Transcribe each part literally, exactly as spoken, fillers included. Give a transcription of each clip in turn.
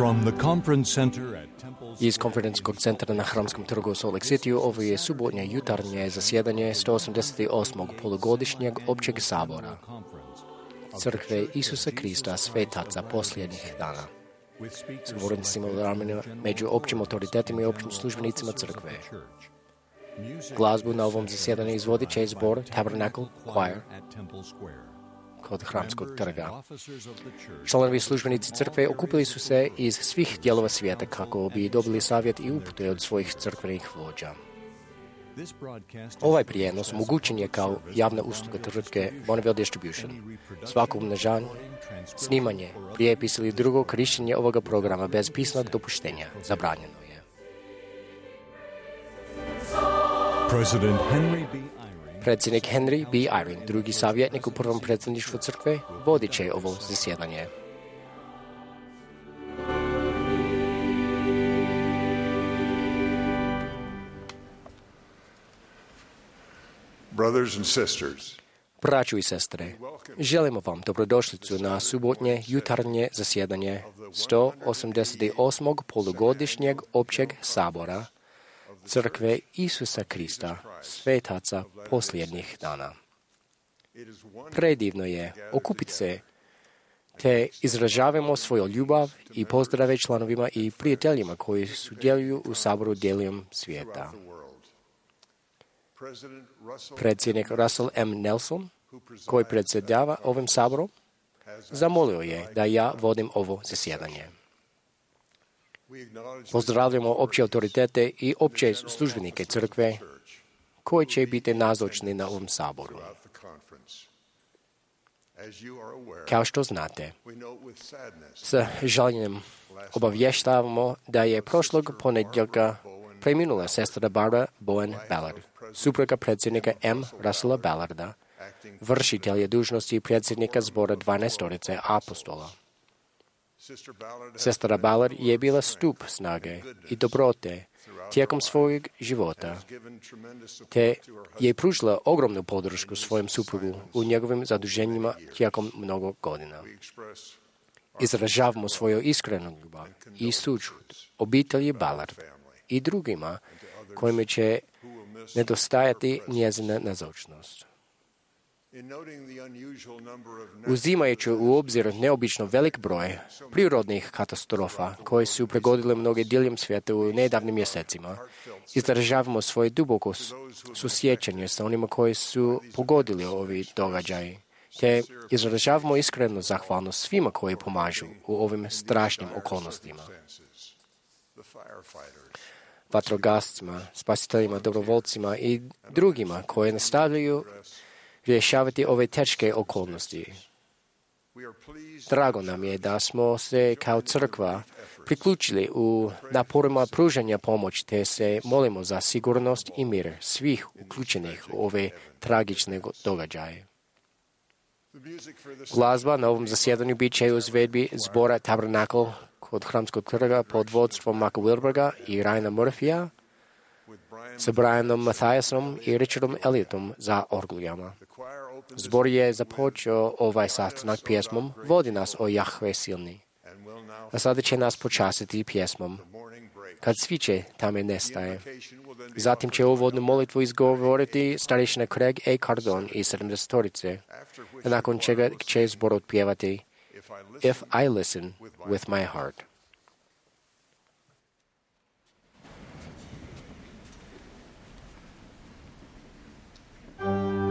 From the conference center at Temple's Iz konferencijskog centra na Hramskom trgu u Salt Lake City ovo je subotnje jutarnje zasjedanje sto osamdeset osmog polugodišnjeg općeg sabora Crkve Isusa Krista svetaca posljednjih dana. S govornicima u ramenima među općim autoritetima i općim službenicima crkve. Glazbu na ovom zasjedanju izvodit će zbor Tabernacle Choir kod Hramskog trga. Članovi službenici crkve okupili su se iz svih dijelova svijeta kako bi dobili savjet i upute od svojih crkvenih vođa. Ovaj prijenos omogućen je kao javna usluga tvrtke Bonneville Distribution. Svako umnožanje, snimanje, prijepis ili drugo korištenje ovoga programa bez pisanog dopuštenja zabranjeno je. President Henry B. Predsjednik Henry B. Eyring, drugi savjetnik u prvom predsjedništvu crkve, vodit će ovo zasjedanje. Brothers and sisters, Braćo i sestre, želimo vam dobrodošlicu na subotnje jutarnje zasjedanje sto osamdeset osmog polugodišnjeg općeg sabora Crkve Isusa Krista, svetaca posljednjih dana. Predivno je okupiti se te izražavamo svoju ljubav i pozdrave članovima i prijateljima koji sudjeluju u saboru dijelom svijeta. Predsjednik Russell M. Nelson, koji predsjedava ovim saborom, zamolio je da ja vodim ovo zasjedanje. Pozdravljamo opće autoritete i opće službenike crkve koji će biti nazočni na ovom saboru. Kao što znate, s žaljenjem obavještavamo da je prošlog ponedjeljka preminula sestra Barbara Bowen Ballard, supruga predsjednika M. Russella Ballarda, vršitelja dužnosti predsjednika zbora dvanaestorice apostola. Sestra Ballard je bila stup snage i dobrote tijekom svojeg života, te je pružila ogromnu podršku svojem suprugu u njegovim zaduženjima tijekom mnogo godina. Izražavamo svoju iskrenu ljubav i sućut obitelji Ballard i drugima kojima će nedostajati njezina nazočnost. Uzimajući u obzir neobično velik broj prirodnih katastrofa koje su pregodile mnoge diljem svijeta u nedavnim mjesecima, izražavamo svoje duboko susjećanje sa onima koji su pogodili ovi događaji, te izražavamo iskrenu zahvalnost svima koji pomažu u ovim strašnim okolnostima. Vatrogascima, spasiteljima, dobrovoljcima i drugima koji nastavljaju rješavati ove teške okolnosti. Drago nam je da smo se kao crkva priključili u naporima pružanja pomoći te se molimo za sigurnost i mir svih uključenih u ove tragične događaje. Glazba na ovom zasjedanju bit će u izvedbi zbora Tabernacle kod Hramskog trga pod vodstvom Maka Wilberga i Ryana Murphyja sa Brianom Mathiasom i Richardom Elliotom za orglijama. Zbor je započeo ovaj sastanak pjesmom Vodi nas o Jahve silni, a sada će nas počastiti pjesmom Kad sviće tame nestaje. Zatim će uvodnu molitvu izgovoriti starješina Craig A. Cardone iz sedamdesetorice, a nakon čega će zbor otpjevati If I listen with my heart. Under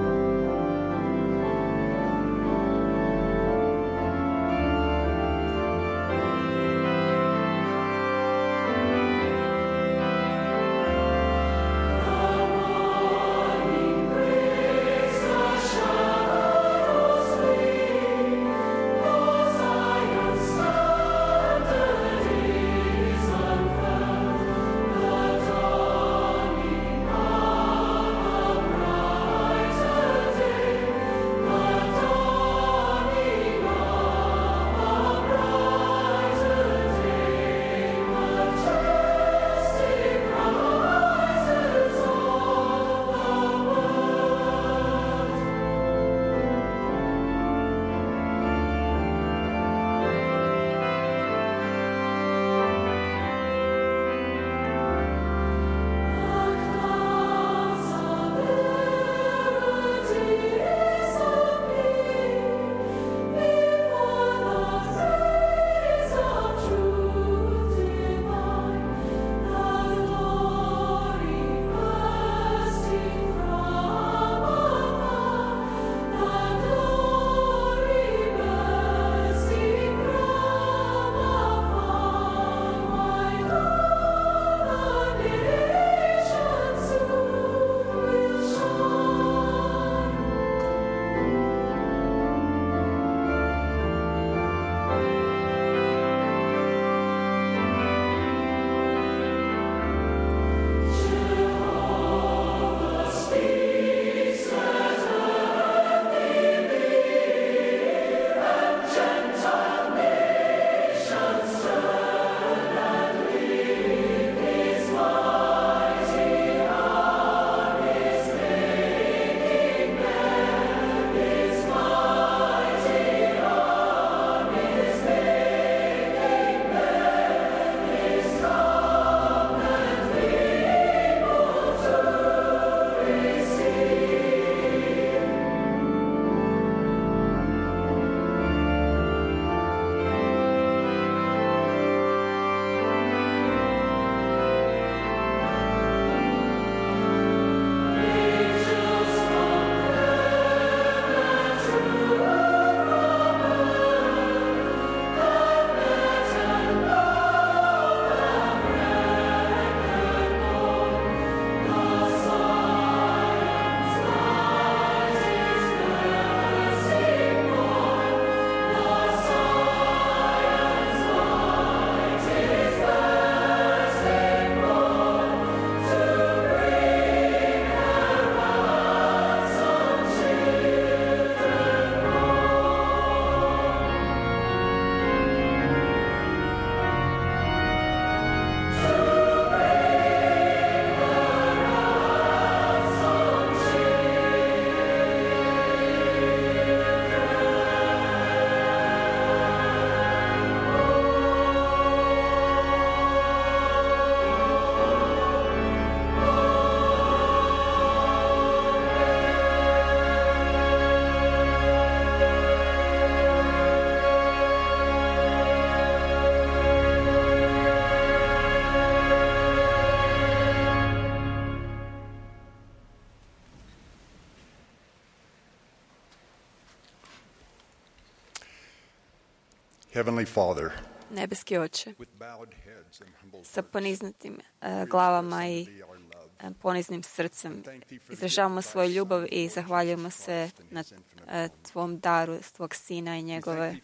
Heavenly Father, Nebeski Oče, with bowed heads and humble sa hearts, poniznutim e, glavama i be our love. e, poniznim srcem izražavamo svoju ljubav i zahvaljujemo se na e, Tvom daru, Tvog Sina i njegove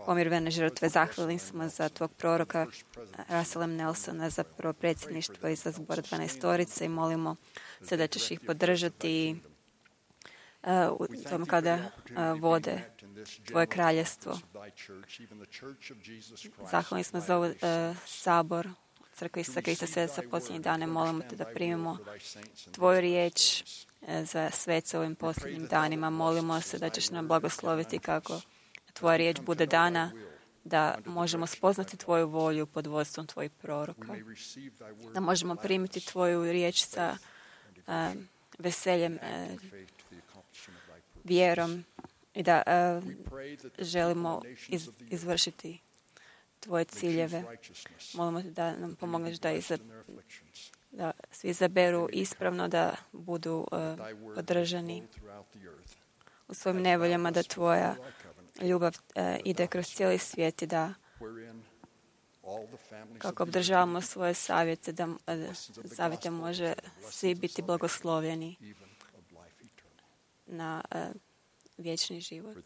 pomirvene žrtve. Zahvalim smo za Tvog proroka Russella M. Nelsona, za prvo predsjedništvo i za zbor dvanaestorice i molimo se da ćeš ih podržati e, u tom kada e, vode Tvoje kraljestvo. Zahvalni smo za ovaj e, sabor Crkve Isusa Krista sveta sa posljednjih dana. Molimo te da primimo Tvoju riječ e, za svece ovim posljednjim danima. Molimo se da ćeš nam blagosloviti kako Tvoja riječ bude dana, da možemo spoznati Tvoju volju pod vodstvom Tvojih proroka. Da možemo primiti Tvoju riječ sa e, veseljem, e, vjerom i da e, želimo iz, izvršiti Tvoje ciljeve. Molimo te da nam pomogneš da, iza, da svi izaberu ispravno, da budu e, podržani u svojim nevoljama, da Tvoja ljubav e, ide kroz cijeli svijet i da kako obdržavamo svoje savjete, da e, savjete može svi biti blagoslovljeni na e, vječni život.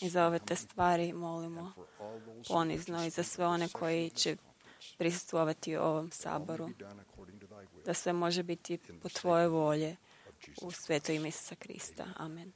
I za ove te stvari molimo ponizno i za sve one koji će prisustvovati u ovom saboru, da sve može biti po Tvoje volje u sveto ime Isusa Krista. Amen.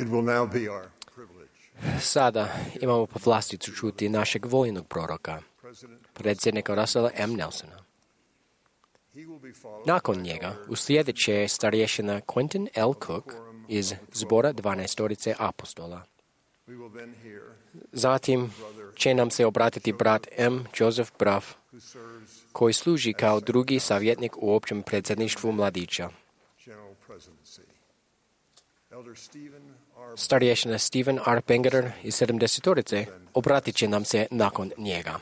It will now be our privilege. Sada imamo povlasticu čuti našeg vojnog proroka, predsjednika Russella M. Nelsona. Nakon njega uslijedit će starješina Quentin L. Cook iz zbora dvanaestorice apostola. Zatim će nam se obratiti brat M. Joseph Braff, koji služi kao drugi savjetnik u općem predsjedništvu mladića. Starješina Stephen R. Pengerer iz sedamdesetorice obratit će nam se nakon njega.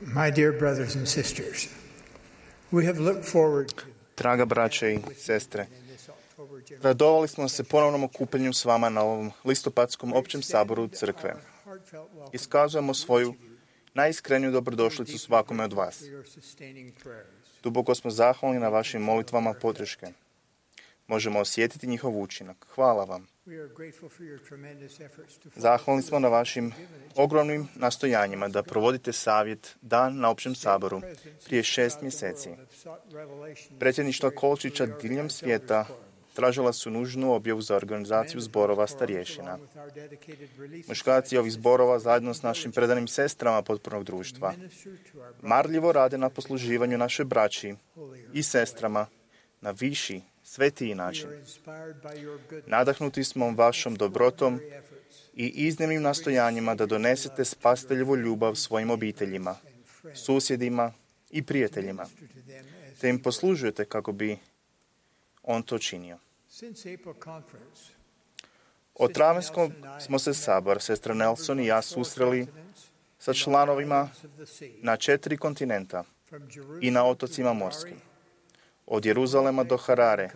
My dear brothers and sisters, we have looked forward to Draga braće i sestre, radovali smo se ponovnom okupljenju s vama na ovom listopadskom općem saboru crkve. Iskazujemo svoju najiskreniju dobrodošlicu svakome od vas. Duboko smo zahvalni na vašim molitvama podrške. Možemo osjetiti njihov učinak. Hvala vam. Zahvalni smo na vašim ogromnim nastojanjima da provodite savjet dan na općem saboru prije šest mjeseci. Predsjedništva Kolčića diljem svijeta tražila su nužnu objavu za organizaciju zborova starješina. Muškarci ovih zborova zajedno s našim predanim sestrama potpornog društva marljivo rade na posluživanju naše braći i sestrama na viši, svetiji način. Nadahnuti smo vašom dobrotom i iznimnim nastojanjima da donesete spasiteljevu ljubav svojim obiteljima, susjedima i prijateljima, te im poslužujete kako bi on to činio. Od travenskog smo se sabor, sestra Nelson i ja susreli sa članovima na četiri kontinenta i na otocima morskim. Od Jeruzalema do Harare,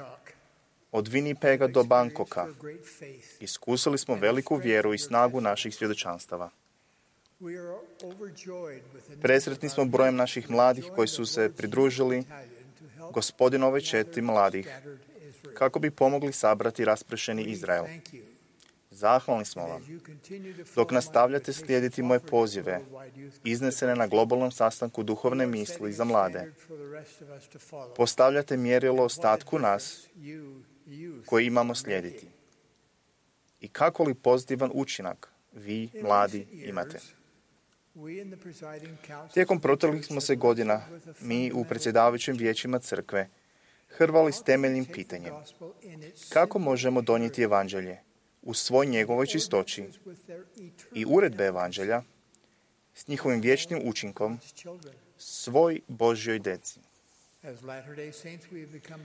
od Winnipega do Bangkoka. Iskusili smo veliku vjeru i snagu naših svjedočanstava. Presretni smo brojem naših mladih koji su se pridružili gospodinove četi mladih kako bi pomogli sabrati raspršeni Izrael. Zahvalni smo vam. Dok nastavljate slijediti moje pozive, iznesene na globalnom sastanku duhovne misli za mlade, postavljate mjerilo ostatku nas koji imamo slijediti. I kako li pozitivan učinak vi, mladi, imate? Tijekom proteklih smo se godina, mi u predsjedavajućim vijećima crkve, hrvali s temeljnim pitanjem. Kako možemo donijeti evanđelje u svoj njegovoj čistoći i uredbe evanđelja s njihovim vječnim učinkom svoj Božjoj djeci?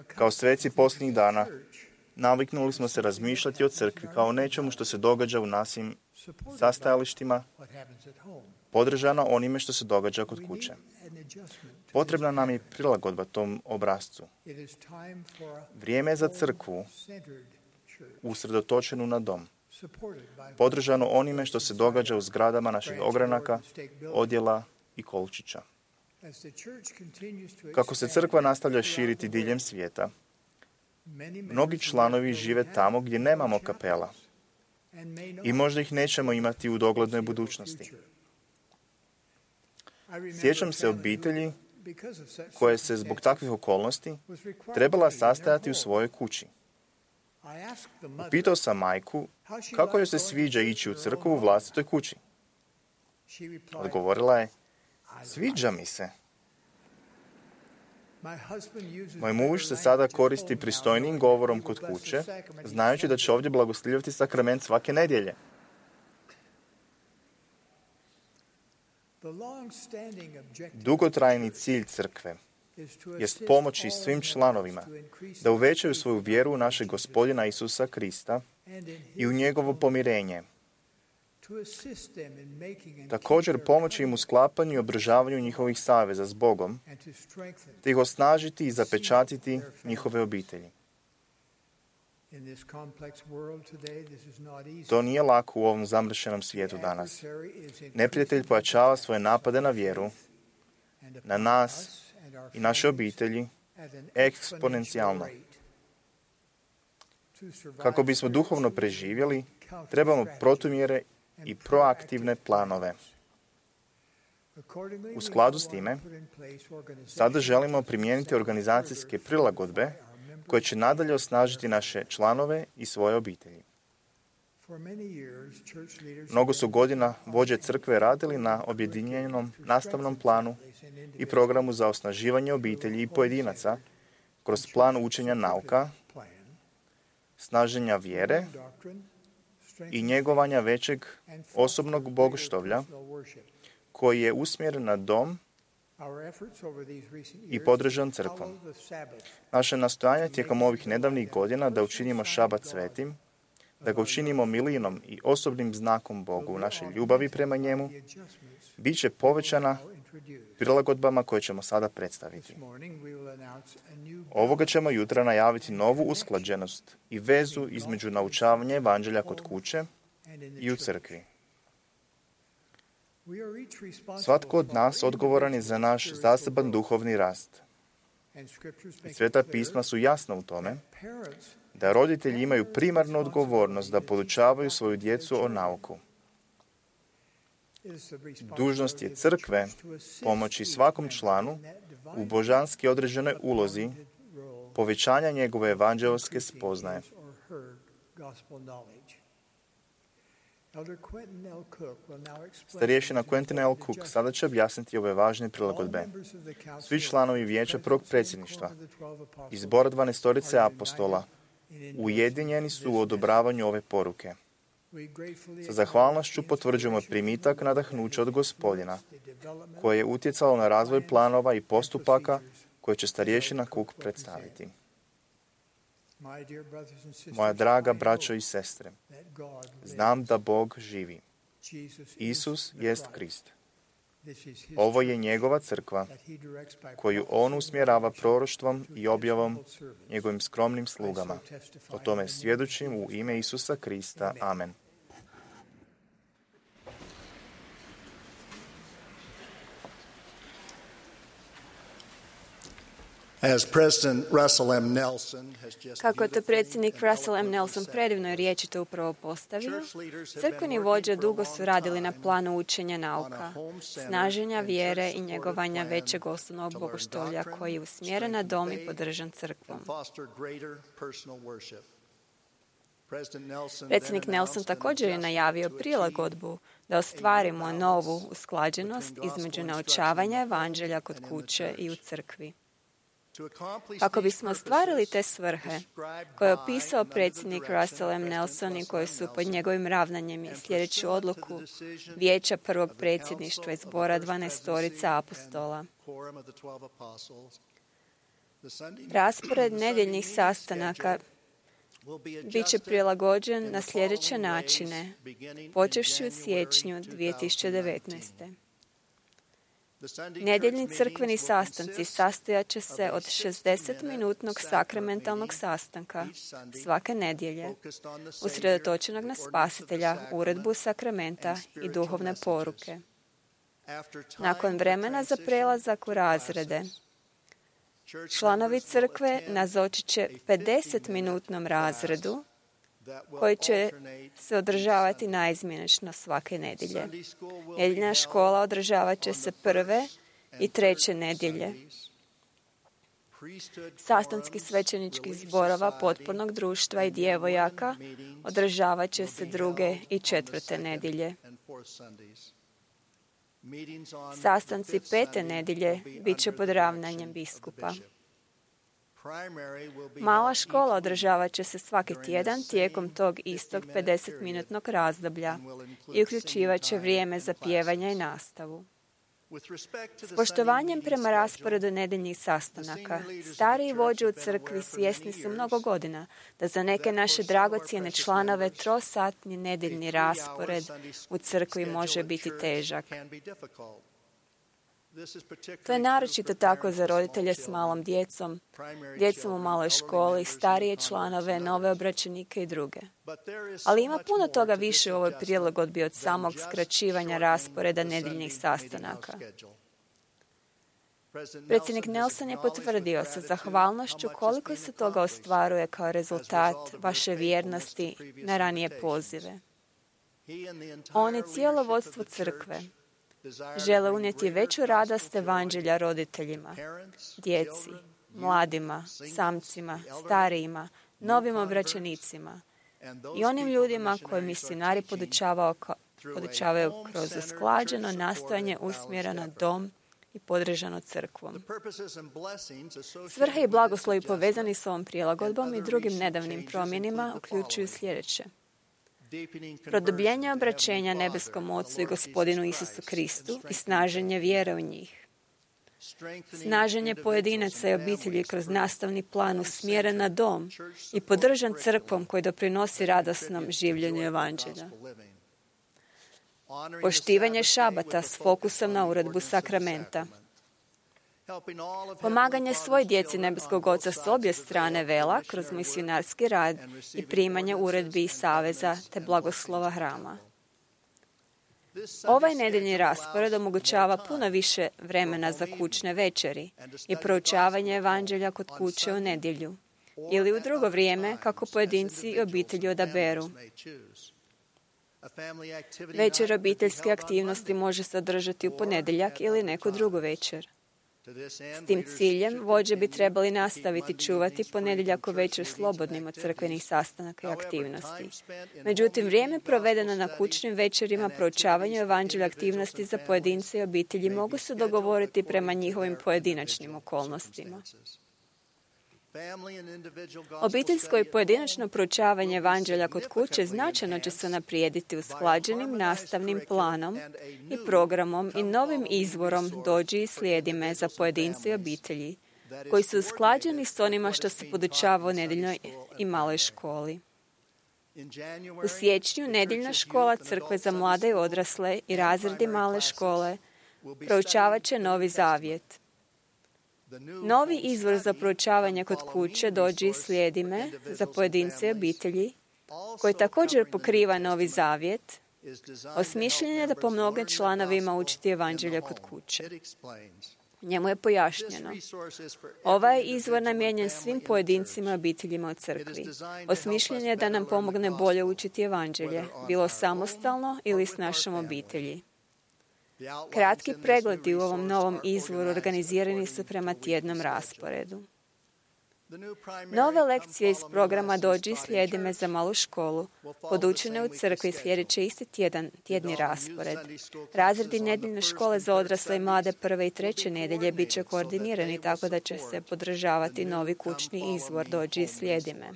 Kao sveci posljednjih dana naviknuli smo se razmišljati o crkvi kao nečemu što se događa u našim sastajalištima, podržano onime što se događa kod kuće. Potrebna nam je prilagodba tom obrascu. Vrijeme je za crkvu usredotočenu na dom, podržano onime što se događa u zgradama naših ogranaka, odjela i kolčića. Kako se crkva nastavlja širiti diljem svijeta, mnogi članovi žive tamo gdje nemamo kapela i možda ih nećemo imati u doglednoj budućnosti. Sjećam se obitelji koje se zbog takvih okolnosti trebala sastajati u svojoj kući. Upitao sam majku kako joj se sviđa ići u crkvu u vlastitoj kući. Odgovorila je, sviđa mi se. Moj muž se sada koristi pristojnim govorom kod kuće, znajući da će ovdje blagoslivljati sakrament svake nedjelje. Dugotrajni cilj crkve jest pomoći svim članovima da uvećaju svoju vjeru u našeg Gospodina Isusa Krista i u njegovo pomirenje. Također pomoći im u sklapanju i održavanju njihovih saveza s Bogom, te ih osnažiti i zapečatiti njihove obitelji. To nije lako u ovom zamršenom svijetu danas. Neprijatelj pojačava svoje napade na vjeru, na nas i naše obitelji eksponencijalno. Kako bismo duhovno preživjeli, trebamo protumjere i proaktivne planove. U skladu s time, sada želimo primijeniti organizacijske prilagodbe koje će nadalje osnažiti naše članove i svoje obitelji. Mnogo su godina vođe crkve radili na objedinjenom nastavnom planu i programu za osnaživanje obitelji i pojedinaca kroz plan učenja nauka, snaženja vjere i njegovanja većeg osobnog bogoštovlja koji je usmjeren na dom i podržan crkvom. Naše nastojanja tijekom ovih nedavnih godina da učinimo šabat svetim, da ga učinimo milinom i osobnim znakom Bogu naše ljubavi prema njemu, bit će povećana prilagodbama koje ćemo sada predstaviti. Ovoga ćemo jutra najaviti novu usklađenost i vezu između naučavanja evanđelja kod kuće i u crkvi. Svatko od nas odgovoran je za naš zaseban duhovni rast. I Sveta pisma su jasna u tome da roditelji imaju primarnu odgovornost da podučavaju svoju djecu o nauku. Dužnost je crkve pomoći svakom članu u božanski određenoj ulozi povećanja njegove evanđelske spoznaje. Starješina Quentin L. Cook sada će objasniti ove važne prilagodbe. Svi članovi vijeća prvog predsjedništva i zbora dvanaestorice apostola ujedinjeni su u odobravanju ove poruke. Sa zahvalnošću potvrđujemo primitak nadahnuća od Gospodina, koje je utjecalo na razvoj planova i postupaka koje će starješina Cook predstaviti. Moja draga braćo i sestre, znam da Bog živi. Isus jest Krist. Ovo je njegova crkva, koju on usmjerava proroštvom i objavom njegovim skromnim slugama. O tome svjedočim u ime Isusa Krista. Amen. As President Russell M. Nelson has just Kako je to predsjednik Russell M. Nelson predivno i riječito upravo postavio, crkveni vođe dugo su radili na planu učenja nauka, snaženja vjere i njegovanja većeg osnovnog bogoštolja koji je usmjeren na dom i podržan crkvom. Predsjednik Nelson također je najavio prilagodbu da ostvarimo novu usklađenost između naučavanja evanđelja kod kuće i u crkvi. Kako bismo ostvarili te svrhe koje je opisao predsjednik Russell M. Nelson i koje su pod njegovim ravnanjem i sljedeću odluku vijeća prvog predsjedništva i zbora dvanaestorica apostola. Raspored nedjeljnih sastanaka bit će prilagođen na sljedeće načine, počevši u siječnju dvije tisuće devetnaeste. Nedjeljni crkveni sastanci sastojat će se od šezdesetminutnog sakramentalnog sastanka svake nedjelje, usredotočenog na Spasitelja, uredbu sakramenta i duhovne poruke. Nakon vremena za prelazak u razrede, članovi crkve nazočit će pedesetminutnom razredu koji će se održavati naizmjenično svake nedjelje. Nedjeljna škola održavat će se prve i treće nedjelje. Sastanci svećeničkih zborova potpornog društva i djevojaka održavat će se druge i četvrte nedjelje. Sastanci pete nedjelje bit će pod ravnanjem biskupa. Mala škola održavat će se svaki tjedan tijekom tog istog pedesetminutnog razdoblja i uključivat će vrijeme za pjevanje i nastavu. S poštovanjem prema rasporedu nedjeljnih sastanaka, stariji vođe u crkvi svjesni su mnogo godina da za neke naše dragocjene članove trosatni nedjeljni raspored u crkvi može biti težak. To je naročito tako za roditelje s malom djecom, djecom u maloj školi, starije članove, nove obraćenike i druge. Ali ima puno toga više u ovoj prilagodbi od samog skraćivanja rasporeda nedjeljnih sastanaka. Predsjednik Nelson je potvrdio sa zahvalnošću koliko se toga ostvaruje kao rezultat vaše vjernosti na ranije pozive. On i cijelo vodstvo crkve žele unijeti veću radost evanđelja roditeljima, djeci, mladima, samcima, starijima, novim obraćenicima i onim ljudima koje misionari podučavaju kroz usklađeno nastojanje usmjereno dom i podržano crkvom. Svrhe i blagoslovi povezani s ovom prilagodbom i drugim nedavnim promjenima uključuju sljedeće. Produbljenje obraćenja nebeskom Ocu i Gospodinu Isusu Kristu i snaženje vjere u njih. Snaženje pojedinaca i obitelji kroz nastavni plan usmjeren na dom i podržan crkvom koji doprinosi radosnom življenju evanđelja. Poštivanje šabata s fokusom na uredbu sakramenta. Pomaganje svoj djeci nebeskog Oca s obje strane vela kroz misionarski rad i primanje uredbi i saveza te blagoslova hrama. Ovaj nedeljni raspored omogućava puno više vremena za kućne večeri i proučavanje evanđelja kod kuće u nedjelju ili u drugo vrijeme kako pojedinci i obitelji odaberu. Večer obiteljske aktivnosti može se održati u ponedjeljak ili neku drugu večer. S tim ciljem vođe bi trebali nastaviti čuvati ponedjeljak večer slobodnim od crkvenih sastanaka i aktivnosti. Međutim, vrijeme provedeno na kućnim večerima proučavanju evanđelja aktivnosti za pojedince i obitelji mogu se dogovoriti prema njihovim pojedinačnim okolnostima. Obiteljsko i pojedinačno proučavanje evanđelja kod kuće značajno će se unaprijediti usklađenim nastavnim planom i programom i novim izvorom dođi i slijedi me za pojedince i obitelji, koji su usklađeni s onima što se podučava u nedjeljnoj i maloj školi. U siječnju nedjeljna škola crkve za mlade i odrasle i razredi male škole proučavat će Novi Zavjet. Novi izvor za proučavanje kod kuće dođi i slijedi me za pojedince i obitelji, koji također pokriva Novi Zavjet, osmišljen je da pomogne članovima učiti evanđelje kod kuće. Njemu je pojašnjeno. Ovaj izvor namijenjen svim pojedincima i obiteljima u crkvi. Osmišljen je da nam pomogne bolje učiti evanđelje, bilo samostalno ili s našom obitelji. Kratki pregledi u ovom novom izvoru organizirani su prema tjednom rasporedu. Nove lekcije iz programa Dođi i slijedi me za malu školu podučene u crkvi sljedeće isti tjedan, tjedni raspored. Razredi nedjeljne škole za odrasle i mlade prve i treće nedjelje bit će koordinirani tako da će se podržavati novi kućni izvor Dođi i slijedi me.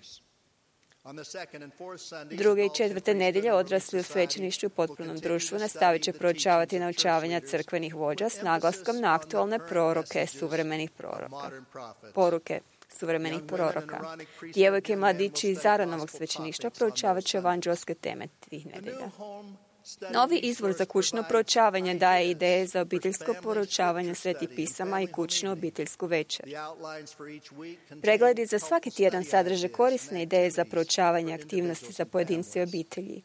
Druge i četvrte nedjelje odrasli u svećeništvu i potpunom društvu nastavit će proučavati naučavanja crkvenih vođa s naglaskom na aktualne proroke suvremenih proroka. Poruke suvremenih proroka. Djevojke i mladići iz Aranovog svećeništva proučavat će evanđelske teme tih nedjelja. Novi izvor za kućno proučavanje daje ideje za obiteljsko proučavanje svetih pisama i kućnu obiteljsku večer. Pregledi za svaki tjedan sadrže korisne ideje za proučavanje aktivnosti za pojedince i obitelji.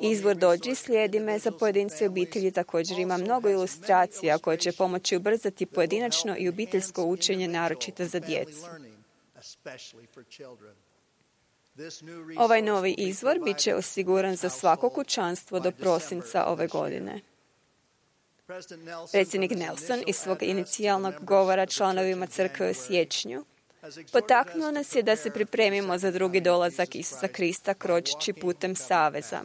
Izvor Dođi i slijedi me za pojedince i obitelji također ima mnogo ilustracija koje će pomoći ubrzati pojedinačno i obiteljsko učenje, naročito za djecu. Ovaj novi izvor bit će osiguran za svako kućanstvo do prosinca ove godine. Predsjednik Nelson iz svog inicijalnog govora članovima crkve u siječnju potaknuo nas je da se pripremimo za drugi dolazak Isusa Krista kročeći putem saveza.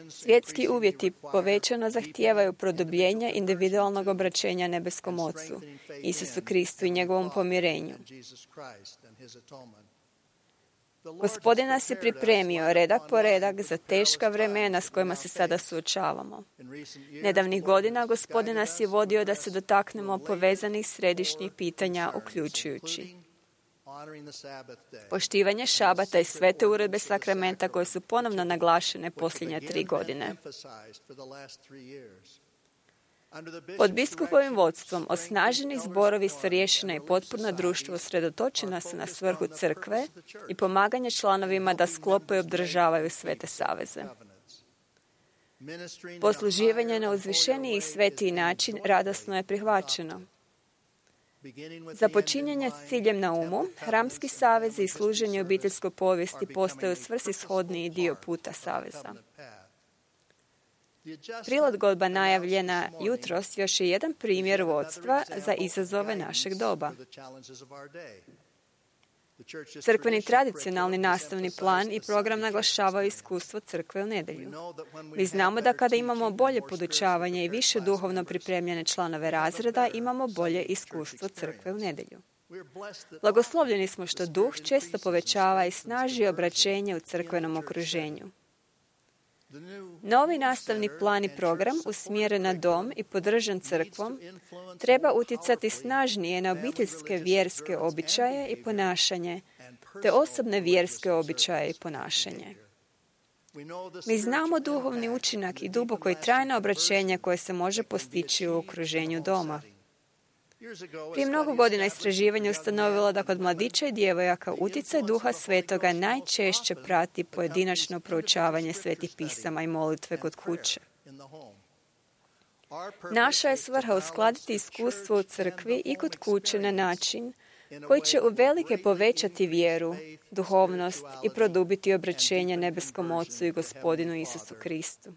Svjetski uvjeti povećano zahtijevaju produbljenje individualnog obraćenja nebeskom Ocu, Isusu Kristu i njegovom pomirenju. Gospodin nas je pripremio redak po redak za teška vremena s kojima se sada suočavamo. Nedavnih godina Gospodin nas je vodio da se dotaknemo povezanih središnjih pitanja, uključujući poštivanje šabata i svete uredbe sakramenta koje su ponovno naglašene posljednje tri godine. Pod biskupovim vodstvom osnaženi zborovi starješina i potpuno društvo usredotočena su na svrhu crkve i pomaganje članovima da sklope i obdržavaju svete saveze. Posluživanje na uzvišeniji i svetiji način radosno je prihvaćeno. Započinjanje s ciljem na umu, hramski savezi i služenje obiteljskoj povijesti postaju svrsishodniji dio puta saveza. Prilagodba najavljena jutros još je jedan primjer vodstva za izazove našeg doba. Crkveni tradicionalni nastavni plan i program naglašavaju iskustvo crkve u nedjelju. Mi znamo da kada imamo bolje podučavanje i više duhovno pripremljene članove razreda, imamo bolje iskustvo crkve u nedjelju. Blagoslovljeni smo što duh često povećava i snaži obraćenje u crkvenom okruženju. Novi nastavni plan i program usmjeren na dom i podržan crkvom treba utjecati snažnije na obiteljske vjerske običaje i ponašanje, te osobne vjerske običaje i ponašanje. Mi znamo duhovni učinak i duboko i trajno obraćenje koje se može postići u okruženju doma. Prije mnogo godina istraživanje ustanovilo da kod mladića i djevojaka utjecaj Duha Svetoga najčešće prati pojedinačno proučavanje svetih pisama i molitve kod kuće. Naša je svrha uskladiti iskustvo u crkvi i kod kuće na način koji će uvelike povećati vjeru, duhovnost i produbiti obraćenje nebeskom Ocu i Gospodinu Isusu Kristu.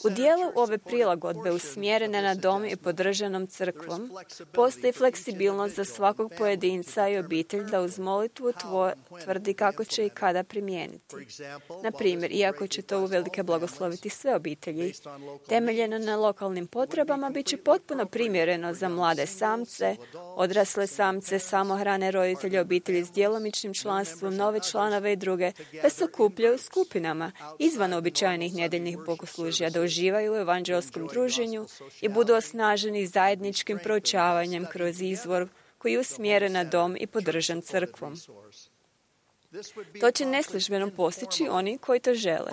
U dijelu ove prilagodbe usmjerene na dom i podržanom crkvom postoji fleksibilnost za svakog pojedinca i obitelj da uz molitvu tvrdi kako će i kada primijeniti. Na primjer, iako će to uvelike blagosloviti sve obitelji, temeljeno na lokalnim potrebama bit će potpuno primjereno za mlade samce, odrasle samce, samohrane roditelje, obitelji s djelomičnim članstvom, nove članove i druge, da se okupljaju u skupinama izvan običajnih nedjeljnih bogosluženja, da uživaju u evanđelskom druženju i budu osnaženi zajedničkim proučavanjem kroz izvor koji je usmjeren na dom i podržan crkvom. To će neslužbeno postići oni koji to žele.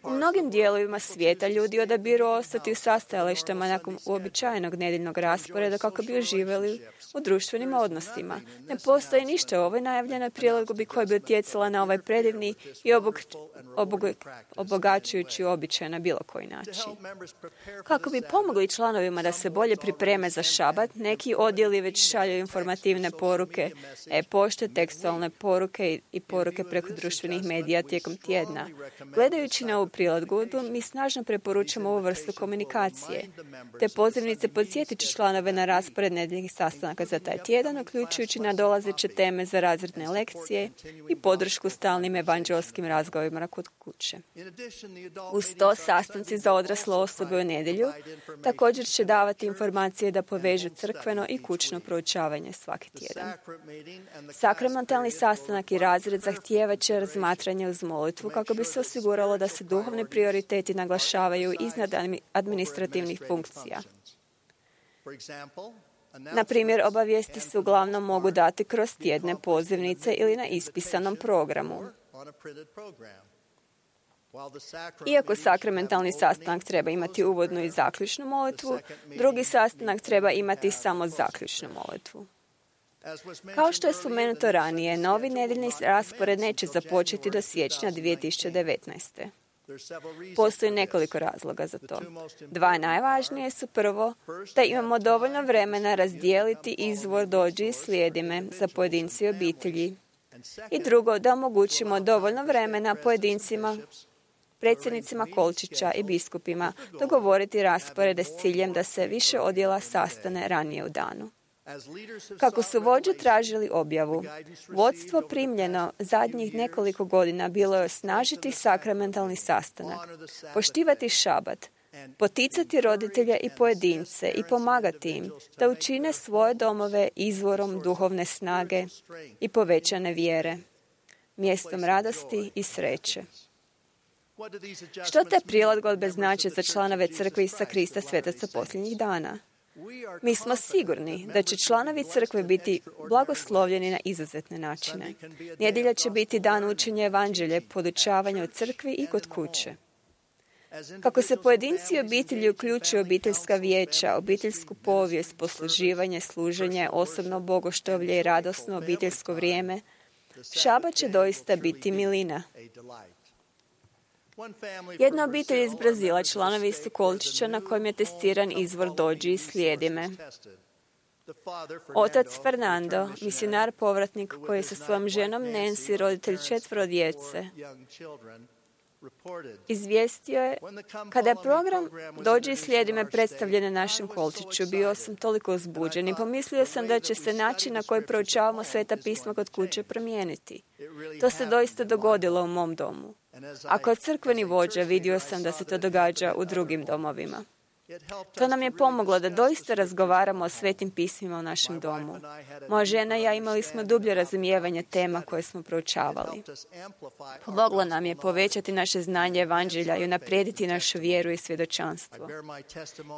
U mnogim dijelovima svijeta ljudi odabiru ostati u sastajalištima nakon uobičajenog nedjeljnog rasporeda kako bi uživali u društvenim odnosima. Ne postoji ništa u ovoj najavljenoj prilagodbi koja bi utjecala na ovaj predivni i obog, obog, obogaćujući običaj na bilo koji način. Kako bi pomogli članovima da se bolje pripreme za šabat, neki odjeli već šalju informativne poruke, e-pošte, tekstualne poruke i poruke preko društvenih medija tijekom tjedna. Gledajući na ovu prilagodbu, mi snažno preporučamo ovu vrstu komunikacije. Te pozivnice podsjetit će članove na raspored nedjeljnih sastanaka za taj tjedan, uključujući nadolazeće teme za razredne lekcije i podršku stalnim evanđelskim razgovorima kod kuće. Uz to, sastanci za odrasle osobe u nedjelju također će davati informacije da povežu crkveno i kućno proučavanje svaki tjedan. Sakramentalni sastanak i razred zahtijevat će razmatranje uz molitvu kako bi se osiguralo da se duhovni prioriteti naglašavaju iznad administrativnih funkcija. Na primjer, obavijesti se uglavnom mogu dati kroz tjedne pozivnice ili na ispisanom programu. Iako sakramentalni sastanak treba imati uvodnu i zaključnu molitvu, drugi sastanak treba imati samo zaključnu molitvu. Kao što je spomenuto ranije, novi nedjeljni raspored neće započeti do siječnja dvije tisuće devetnaeste. Postoji nekoliko razloga za to. Dva najvažnije su: prvo, da imamo dovoljno vremena razdijeliti izvor dođi i slijedi me za pojedinci i obitelji. I drugo, da omogućimo dovoljno vremena pojedincima, predsjednicima kolčića i biskupima dogovoriti rasporede s ciljem da se više odjela sastane ranije u danu. Kako su vođe tražili objavu, vodstvo primljeno zadnjih nekoliko godina bilo je osnažiti sakramentalni sastanak, poštivati šabat, poticati roditelje i pojedince i pomagati im da učine svoje domove izvorom duhovne snage i povećane vjere, mjestom radosti i sreće. Što te prilagodbe znače za članove crkve Isusa Krista svetaca posljednjih dana? Mi smo sigurni da će članovi crkve biti blagoslovljeni na izuzetne načine. Nedjelja će biti dan učenja evanđelja, podučavanja u crkvi i kod kuće. Kako se pojedinci i obitelji uključuju obiteljska vijeća, obiteljsku povijest, posluživanje, služenje, osobno bogoštovlje i radosno obiteljsko vrijeme, šabat će doista biti milina. Jedna obitelj iz Brazila, članovi su kolčića na kojem je testiran izvor dođi i slijedi me. Otac Fernando, misionar povratnik koji je sa svojom ženom Nancy, roditelj četvoro djece, izvijestio je: kada je program Dođi i slijedi me predstavljen na našem kolčiću, bio sam toliko uzbuđen i pomislio sam da će se način na koji proučavamo Sveta pisma kod kuće promijeniti. To se doista dogodilo u mom domu. A kao crkveni vođa vidio sam da se to događa u drugim domovima. To nam je pomoglo da doista razgovaramo o svetim pismima u našem domu. Moja žena i ja imali smo dublje razumijevanje tema koje smo proučavali. Pomoglo nam je povećati naše znanje evanđelja i unaprijediti našu vjeru i svjedočanstvo.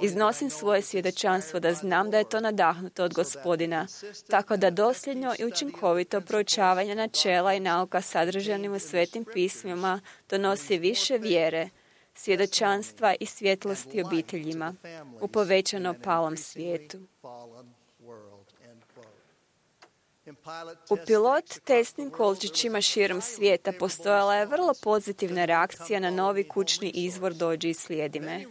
Iznosim svoje svjedočanstvo da znam da je to nadahnuto od Gospodina, tako da dosljedno i učinkovito proučavanje načela i nauka sadržanim u svetim pismima donosi više vjere, svjedočanstva i svjetlosti obiteljima u povećano palom svijetu. U pilot testnim kolčićima širom svijeta postojala je vrlo pozitivna reakcija na novi kućni izvor Dođi i slijedi me.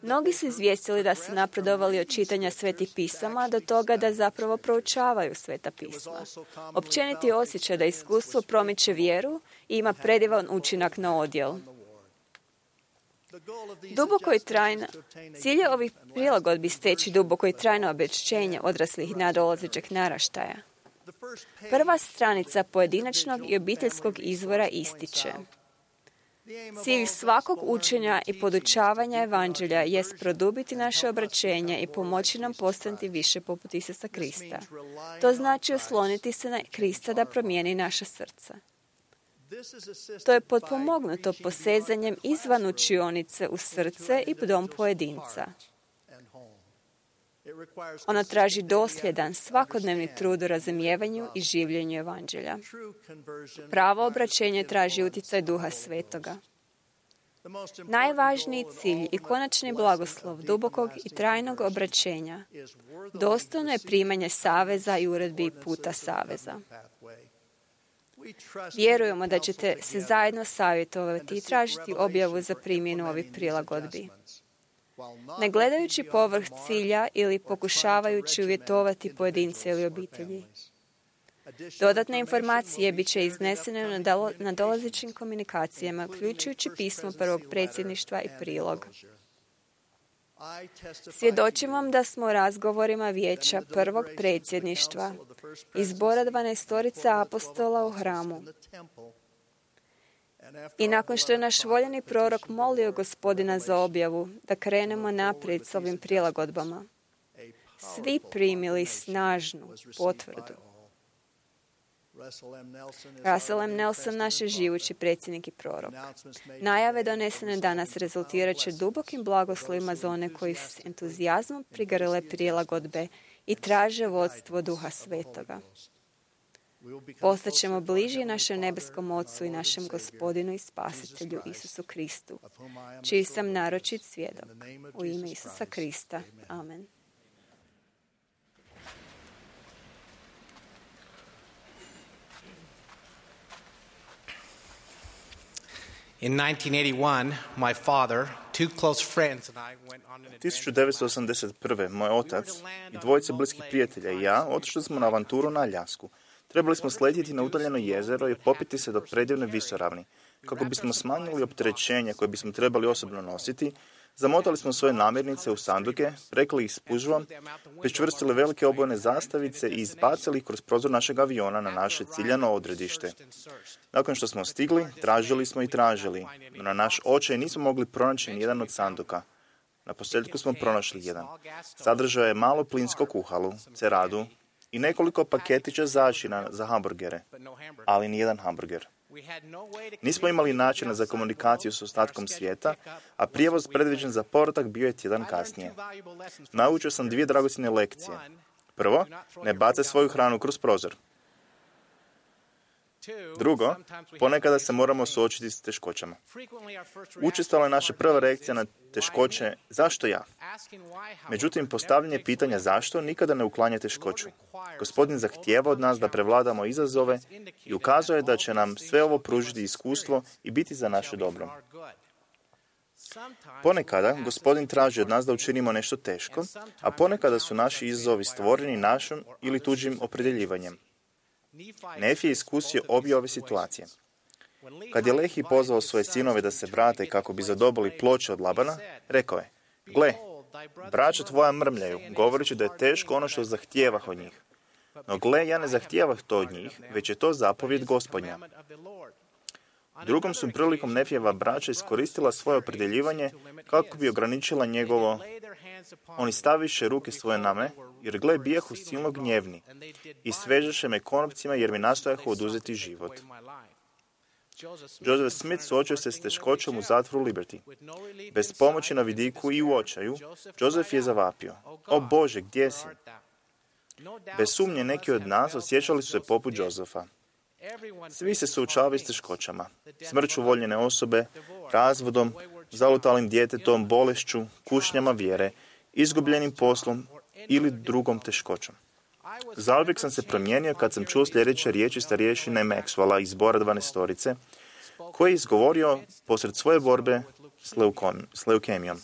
Mnogi su izvijestili da su napredovali od čitanja svetih pisama do toga da zapravo proučavaju sveta pisma. Općeniti osjećaj da iskustvo promiče vjeru i ima predivan učinak na odjel. Duboko i trajno, cilj je ovih prilagodbi steći duboko i trajno obešćenje odraslih i nadolazećeg naraštaja. Prva stranica pojedinačnog i obiteljskog izvora ističe: cilj svakog učenja i podučavanja evanđelja jest produbiti naše obraćenje i pomoći nam postati više poput Isusa Krista. To znači osloniti se na Krista da promijeni naša srca. To je potpomognuto posezanjem izvan učionice u srce i dom pojedinca. Ono traži dosljedan, svakodnevni trud u razumijevanju i življenju evanđelja. Pravo obraćenje traži utjecaj Duha Svetoga. Najvažniji cilj i konačni blagoslov dubokog i trajnog obraćenja dostojno je primanje saveza i uredbi puta saveza. Vjerujemo da ćete se zajedno savjetovati i tražiti objavu za primjenu ovih prilagodbi. Ne gledajući povrh cilja ili pokušavajući uvjetovati pojedince ili obitelji. Dodatne informacije bit će iznesene na dolazećim komunikacijama, uključujući pismo prvog predsjedništva i prilog. Svjedočim vam da smo u razgovorima vijeća prvog predsjedništva i zbora dvanaestorica apostola u hramu. I nakon što je naš voljeni prorok molio Gospodina za objavu, da krenemo naprijed s ovim prilagodbama, svi primili snažnu potvrdu. Russell M. Nelson, naš je živući predsjednik i prorok. Najave donesene danas rezultirat će dubokim blagoslovima za one koji s entuzijazmom prigrle prilagodbe i traže vodstvo Duha Svetoga. Postaćemo bliži našem nebeskom Ocu i našem Gospodinu i Spasitelju Isusu Kristu, čiji sam naročit svjedok. U ime Isusa Krista. Amen. In nineteen eighty-one, my father, two close friends and I went on an adventure. tisuću devetsto osamdeset prve. moj otac i dvojica bliskih prijatelja i ja otišli smo na avanturu na Aljasku. Trebali smo sletjeti na udaljeno jezero i popiti se do predivne visoravni. Kako bismo smanjili opterećenje koje bismo trebali osobno nositi, zamotali smo svoje namirnice u sanduke, prekli ih spužvom, pričvrstili velike obojene zastavice i izbacili ih kroz prozor našeg aviona na naše ciljano odredište. Nakon što smo stigli, tražili smo i tražili, no na naš očaj nismo mogli pronaći nijedan od sanduka. Na posljedku smo pronašli jedan. Sadržao je malo plinsko kuhalu, ceradu i nekoliko paketića začina za hamburgere, ali nijedan hamburger. Nismo imali načina za komunikaciju s ostatkom svijeta, a prijevoz predviđen za povratak bio je tjedan kasnije. Naučio sam dvije dragocjene lekcije. Prvo, ne bace svoju hranu kroz prozor. Drugo, ponekada se moramo suočiti s teškoćama. Učestala je naša prva reakcija na teškoće, zašto ja? Međutim, postavljanje pitanja zašto nikada ne uklanja teškoću. Gospodin zahtijeva od nas da prevladamo izazove i ukazuje da će nam sve ovo pružiti iskustvo i biti za naše dobro. Ponekada Gospodin traži od nas da učinimo nešto teško, a ponekada su naši izazovi stvoreni našim ili tuđim opredjeljivanjem. Nefi je iskusio obje ove situacije. Kad je Lehi pozvao svoje sinove da se vrate kako bi zadobili ploče od Labana, rekao je: gle, braća tvoja mrmljaju, govoreći da je teško ono što zahtijevah od njih. No gle, ja ne zahtijevah to od njih, već je to zapovjed Gospodnja. Drugom su prilikom Nefijeva braća iskoristila svoje opredjeljivanje kako bi ograničila njegovo. Oni staviše ruke svoje na me, jer gle, bijahu silno gnjevni i svežeše me konopcima jer mi nastojahu oduzeti život. Joseph Smith suočio se s teškoćom u zatvoru Liberty. Bez pomoći na vidiku i u očaju, Joseph je zavapio: o Bože, gdje si? Bez sumnje neki od nas osjećali su se poput Josefa. Svi se suočavaju s teškoćama, smrću voljene osobe, razvodom, zalutalim djetetom, bolešću, kušnjama vjere, izgubljenim poslom ili drugom teškoćom. Zauvijek sam se promijenio kad sam čuo sljedeće riječi starješine Maxwella iz Zbora dvanaestorice, koji je izgovorio posred svoje borbe s, leukom, s leukemijom.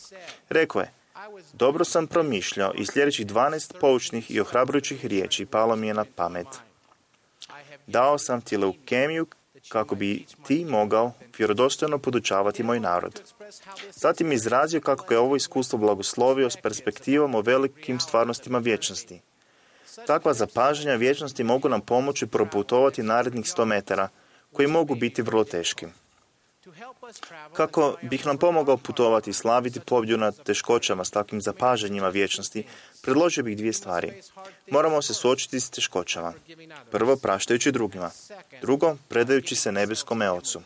Rekao je: dobro sam promišljao i sljedećih dvanaest poučnih i ohrabrujućih riječi palo mi je na pamet. Dao sam ti leukemiju kako bi ti mogao vjerodostojno podučavati moj narod. Zatim je izrazio kako ga je ovo iskustvo blagoslovio s perspektivom o velikim stvarnostima vječnosti. Takva zapažanja vječnosti mogu nam pomoći proputovati narednih sto metara, koji mogu biti vrlo teški. Kako bih nam pomogao putovati i slaviti pobjedu nad teškoćama s takvim zapažanjima vječnosti, predložio bih dvije stvari. Moramo se suočiti s teškoćama. Prvo, praštajući drugima. Drugo, predajući se nebeskome Ocu.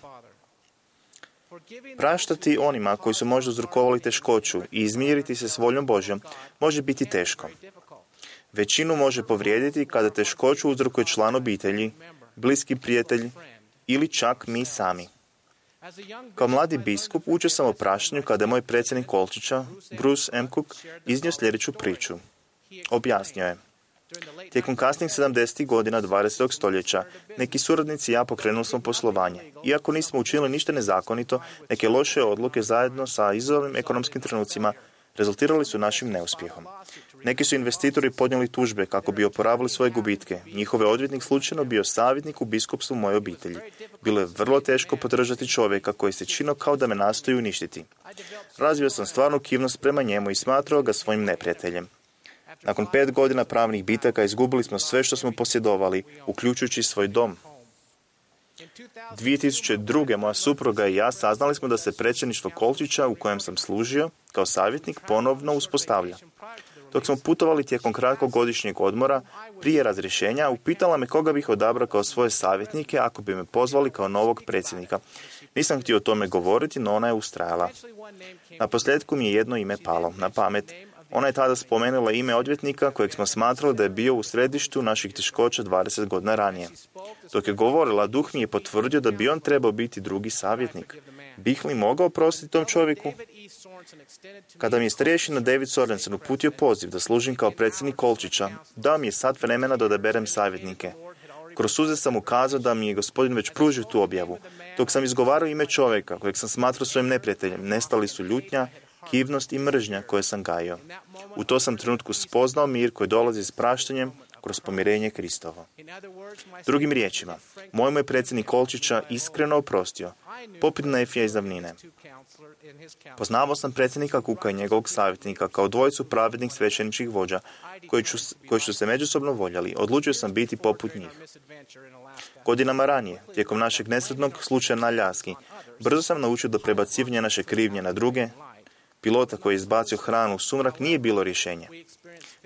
Praštati onima koji su možda uzrokovali teškoću i izmiriti se s voljom Božjom može biti teško. Većinu može povrijediti kada teškoću uzrokuje član obitelji, bliski prijatelj ili čak mi sami. Kao mladi biskup učio sam o praštanju kada je moj predsjednik Kolčića, Bruce M. Cook, iznio sljedeću priču. Objasnio je: tijekom kasnih sedamdesetih godina dvadesetog stoljeća neki suradnici i ja pokrenuli smo poslovanje. Iako nismo učinili ništa nezakonito, neke loše odluke zajedno sa izazovnim ekonomskim trenucima rezultirali su našim neuspjehom. Neki su investitori podnijeli tužbe kako bi oporavili svoje gubitke. Njihov je odvjetnik slučajno bio savjetnik u biskupstvu moje obitelji. Bilo je vrlo teško podržati čovjeka koji se činio kao da me nastoji uništiti. Razvio sam stvarnu kivnost prema njemu i smatrao ga svojim neprijateljem. Nakon pet godina pravnih bitaka izgubili smo sve što smo posjedovali, uključujući svoj dom. dvije tisuće druge. moja supruga i ja saznali smo da se predsjedništvo Kolčića, u kojem sam služio kao savjetnik, ponovno uspostavlja. Dok smo putovali tijekom kratkog godišnjeg odmora, prije razrješenja, upitala me koga bih odabrao kao svoje savjetnike ako bi me pozvali kao novog predsjednika. Nisam htio o tome govoriti, no ona je ustrajala. Na posljedku mi je jedno ime palo na pamet. Ona je tada spomenula ime odvjetnika kojeg smo smatrali da je bio u središtu naših teškoća dvadeset godina ranije. Dok je govorila, duh mi je potvrdio da bi on trebao biti drugi savjetnik. Bih li mogao oprostiti tom čovjeku? Kada mi je starješina David Sorensen uputio poziv da služim kao predsjednik Kolčića, dao mi je sat vremena da odaberem savjetnike. Kroz suze sam ukazao da mi je Gospodin već pružio tu objavu. Dok sam izgovarao ime čovjeka kojeg sam smatrao svojim neprijateljem, nestali su ljutnja, kivnost i mržnja koje sam gajio. U to sam trenutku spoznao mir koji dolazi s praštanjem kroz pomirenje Kristovo. Drugim riječima, moj moj predsjednik Kolčića iskreno oprostio, poput Nefija iz davnine. Poznavao sam predsjednika Kuka i njegovog savjetnika kao dvojicu pravednih svećeničkih vođa koji, ću, koji su se međusobno voljeli. Odlučio sam biti poput njih. Godinama ranije, tijekom našeg nesretnog slučaja na Aljaski, brzo sam naučio da prebacivanje naše krivnje na druge, pilota koji je izbacio hranu u sumrak, nije bilo rješenje.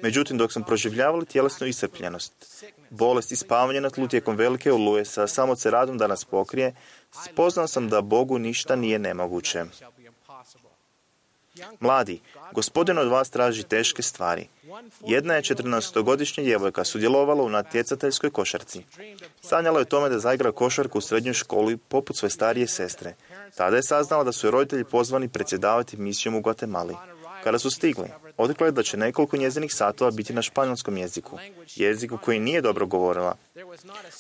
Međutim, dok sam proživljavali tjelesnu iscrpljenost, bolest i spavanje na tlu tijekom velike oluje sa samo ceradom da nas pokrije, spoznao sam da Bogu ništa nije nemoguće. Mladi, Gospodin od vas traži teške stvari. Jedna je četrnaestogodišnja djevojka sudjelovala u natjecateljskoj košarci. Sanjala je o tome da zaigra košarku u srednjoj školi poput svoje starije sestre. Tada je saznala da su joj roditelji pozvani predsjedavati misijom u Guatemali. Kada su stigli, Otkrila je da će nekoliko njezinih satova biti na španjolskom jeziku, jeziku koji nije dobro govorila.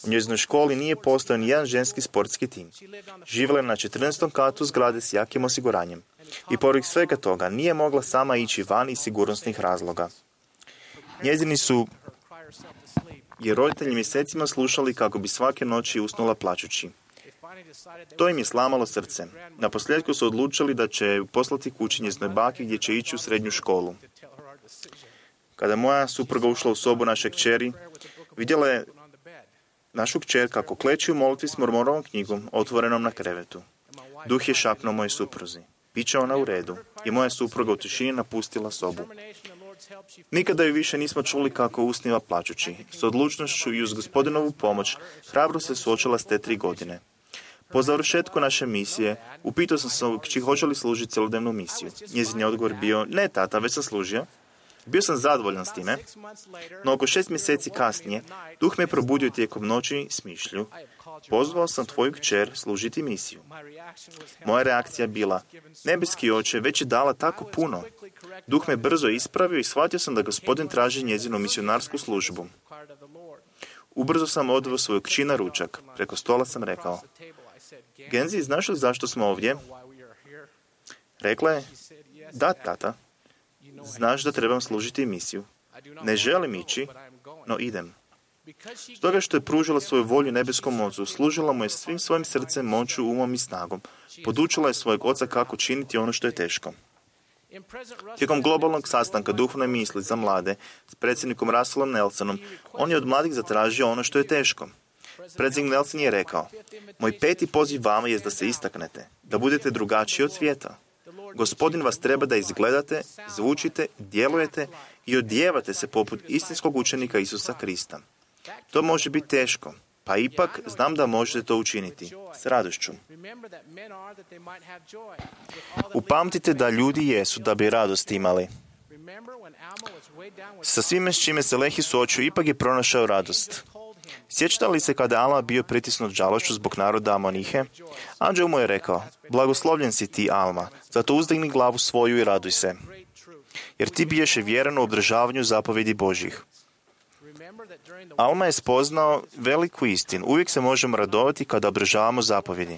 U njezinoj školi nije postojao ni jedan ženski sportski tim. Živjela je na četrnaestom katu zgrade s jakim osiguranjem. I pored svega toga nije mogla sama ići van iz sigurnosnih razloga. Njezini su je roditelji mjesecima slušali kako bi svake noći usnula plačući. To im je slamalo srce. Naposljetku su odlučili da će poslati kući njezinoj baki gdje će ići u srednju školu. Kada je moja supruga ušla u sobu naše kćeri, vidjela je našu kćer kako kleči u molitvi s Mormonovom knjigom otvorenom na krevetu. Duh je šapnuo moje supruzi. Biće ona u redu. I moja supruga u tišini napustila sobu. Nikada ju više nismo čuli kako usniva plačući. S odlučnošću i uz Gospodinovu pomoć hrabro se suočila s te tri godine. Po završetku naše misije, upitao sam se kći hoće li služiti cjelodnevnu misiju. Njezin je odgovor bio, ne tata, već sam služio. Bio sam zadovoljan s time, no oko šest mjeseci kasnije, duh me probudio tijekom noći s mišlju. Pozvao sam tvoju kćer služiti misiju. Moja reakcija je bila, nebeski oče već je dala tako puno. Duh me brzo ispravio i shvatio sam da Gospodin traži njezinu misionarsku službu. Ubrzo sam odveo svoju kći na ručak. Preko stola sam rekao, Genzi, znaš li zašto smo ovdje? Rekla je, da, tata. Znaš da trebam služiti misiju. Ne želim ići, no idem. Stoga što je pružila svoju volju nebeskom ocu, služila mu je svim svojim srcem, moću, umom i snagom. Podučila je svojeg oca kako činiti ono što je teško. Tijekom globalnog sastanka duhovne misli za mlade s predsjednikom Russellom Nelsonom, on je od mladih zatražio ono što je teško. Predsjednik Nelson je rekao, moj peti poziv vama je da se istaknete, da budete drugačiji od svijeta. Gospodin vas treba da izgledate, zvučite, djelujete i odijevate se poput istinskog učenika Isusa Krista. To može biti teško, pa ipak znam da možete to učiniti s radošću. Upamtite da ljudi jesu da bi radost imali. Sa svime s čime se Lehi suočio, ipak je pronašao radost. Sjećate li se kada je Alma bio pritisnut žalošću zbog naroda Amonihe? Anđeo mu je rekao, blagoslovljen si ti, Alma, zato uzdigni glavu svoju i raduj se, jer ti biješe vjeran u obdržavanju zapovjedi Božjih. Alma je spoznao veliku istinu. Uvijek se možemo radovati kada obdržavamo zapovjedi.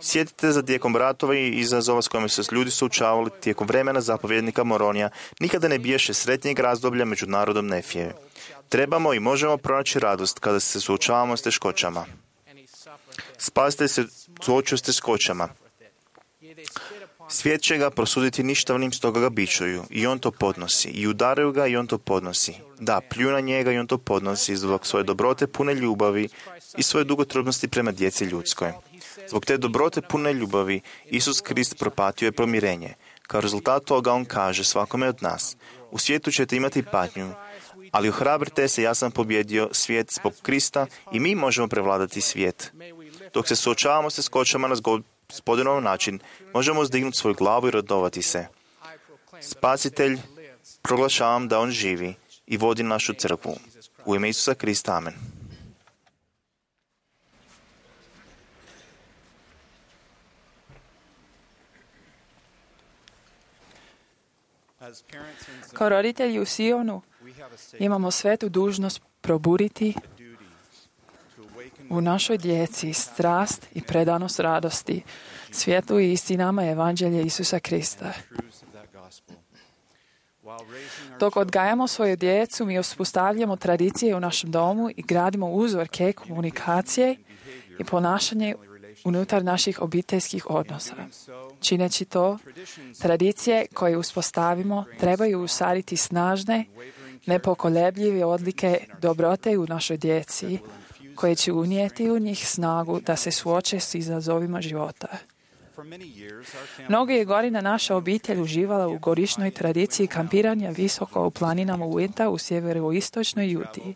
Sjetite za tijekom ratova i izazova s kojima su se ljudi suočavali tijekom vremena zapovjednika Moronija, nikada ne biješe sretnijeg razdoblja među narodom Nefije. Trebamo i možemo pronaći radost kada se suočavamo s teškoćama. Spasitelj se suočio s teškoćama. Svijet će ga prosuditi ništavnim, stoga ga bičuju. I on to podnosi. I udaraju ga i on to podnosi. Da, pljuju na njega i on to podnosi zbog svoje dobrote pune ljubavi i svoje dugotrudnosti prema djeci ljudskoj. Zbog te dobrote pune ljubavi Isus Krist propatio je pomirenje. Kao rezultat toga on kaže svakome od nas, u svijetu ćete imati patnju, ali ohrabrite se, ja sam pobjedio svijet zbog Krista i mi možemo prevladati svijet. Dok se suočavamo s teškoćama na Gospodinov način, možemo uzdignuti svoju glavu i radovati se. Spasitelj, proglašavam da on živi i vodi našu crkvu. U ime Isusa Krista, amen. Kao roditelji u Sionu imamo svetu dužnost probuditi u našoj djeci strast i predanost radosti, svijetu i istinama evanđelja Isusa Krista. Dok odgajamo svoju djecu, mi uspostavljamo tradicije u našem domu i gradimo uzorke komunikacije i ponašanje unutar naših obiteljskih odnosa. Čineći to, tradicije koje uspostavimo trebaju usaditi snažne, nepokolebljive odlike dobrote u našoj djeci, koje će unijeti u njih snagu da se suoče s izazovima života. Mnogo je godina naša obitelj uživala u godišnjoj tradiciji kampiranja visoko u planinama Uinta u sjeveroistočnoj Juti.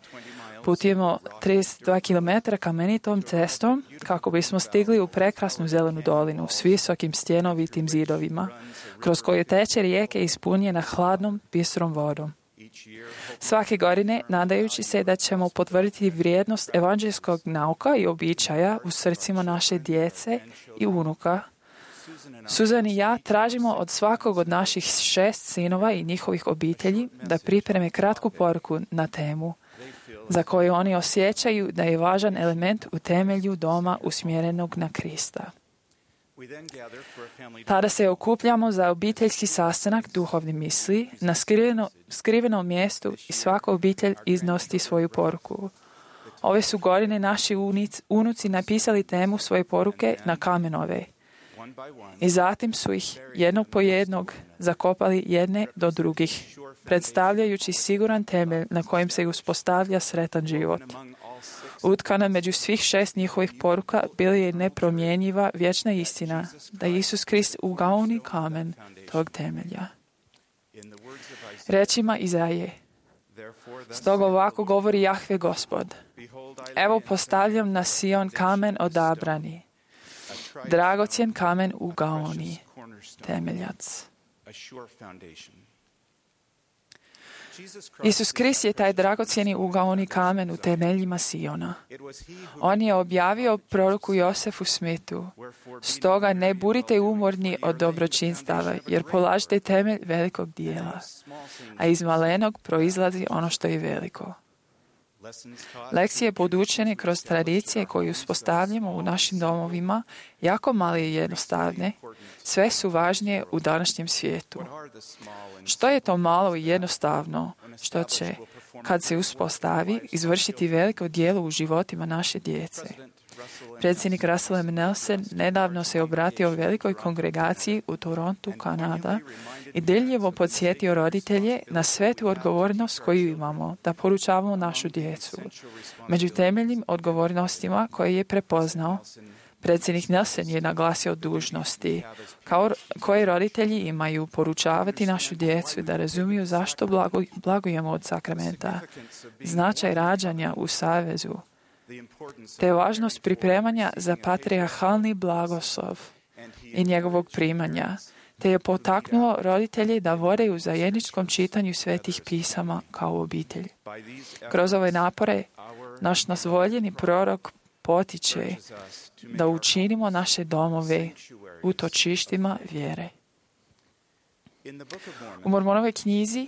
Putujemo trideset dva kilometra kamenitom cestom kako bismo stigli u prekrasnu zelenu dolinu s visokim stjenovitim zidovima, kroz koju teče rijeke ispunjena hladnom, bistrom vodom. Svake godine, nadajući se da ćemo potvrditi vrijednost evanđelskog nauka i običaja u srcima naše djece i unuka, Suzan i ja tražimo od svakog od naših šest sinova i njihovih obitelji da pripreme kratku poruku na temu za koju oni osjećaju da je važan element u temelju doma usmjerenog na Krista. Tada se okupljamo za obiteljski sastanak duhovne misli na skriveno, skrivenom mjestu i svaka obitelj iznosti svoju poruku. Ove su godine naši unic, unuci napisali temu svoje poruke na kamenove i zatim su ih jednog po jednog zakopali jedne do drugih, predstavljajući siguran temelj na kojem se uspostavlja sretan život. Utkana među svih šest njihovih poruka bila je nepromjenjiva vječna istina da je Isus Krist ugaoni kamen tog temelja. Rečima Izaije: Stoga ovako govori Jahve Gospod: Evo postavljam na Sion kamen odabrani, dragocjen kamen ugaoni, temeljac. Isus Krist je taj dragocjeni ugaoni kamen u temeljima Siona. On je objavio proroku Josefu Smithu: Stoga ne budite umorni od dobročinstava, jer polažete temelj velikog dijela, a iz malenog proizlazi ono što je veliko. Lekcije podučene kroz tradicije koje uspostavljamo u našim domovima, jako male i jednostavne, sve su važnije u današnjem svijetu. Što je to malo i jednostavno što će, kad se uspostavi, izvršiti veliko djelo u životima naše djece? Predsjednik Russell M. Nelson nedavno se obratio velikoj kongregaciji u Torontu, Kanada, i deljivo podsjetio roditelje na svetu odgovornost koju imamo da poručavamo našu djecu. Među temeljnim odgovornostima koje je prepoznao, predsjednik Nelson je naglasio dužnosti kao koje roditelji imaju poručavati našu djecu da razumiju zašto blago, blagujemo od sakramenta, značaj rađanja u savezu, te važnost pripremanja za patrijarhalni blagoslov i njegovog primanja, te je potaknuo roditelje da vode u zajedničkom čitanju svetih pisama kao obitelj. Kroz ove napore, naš nas voljeni prorok potiče da učinimo naše domove utočištima vjere. U Mormonovoj knjizi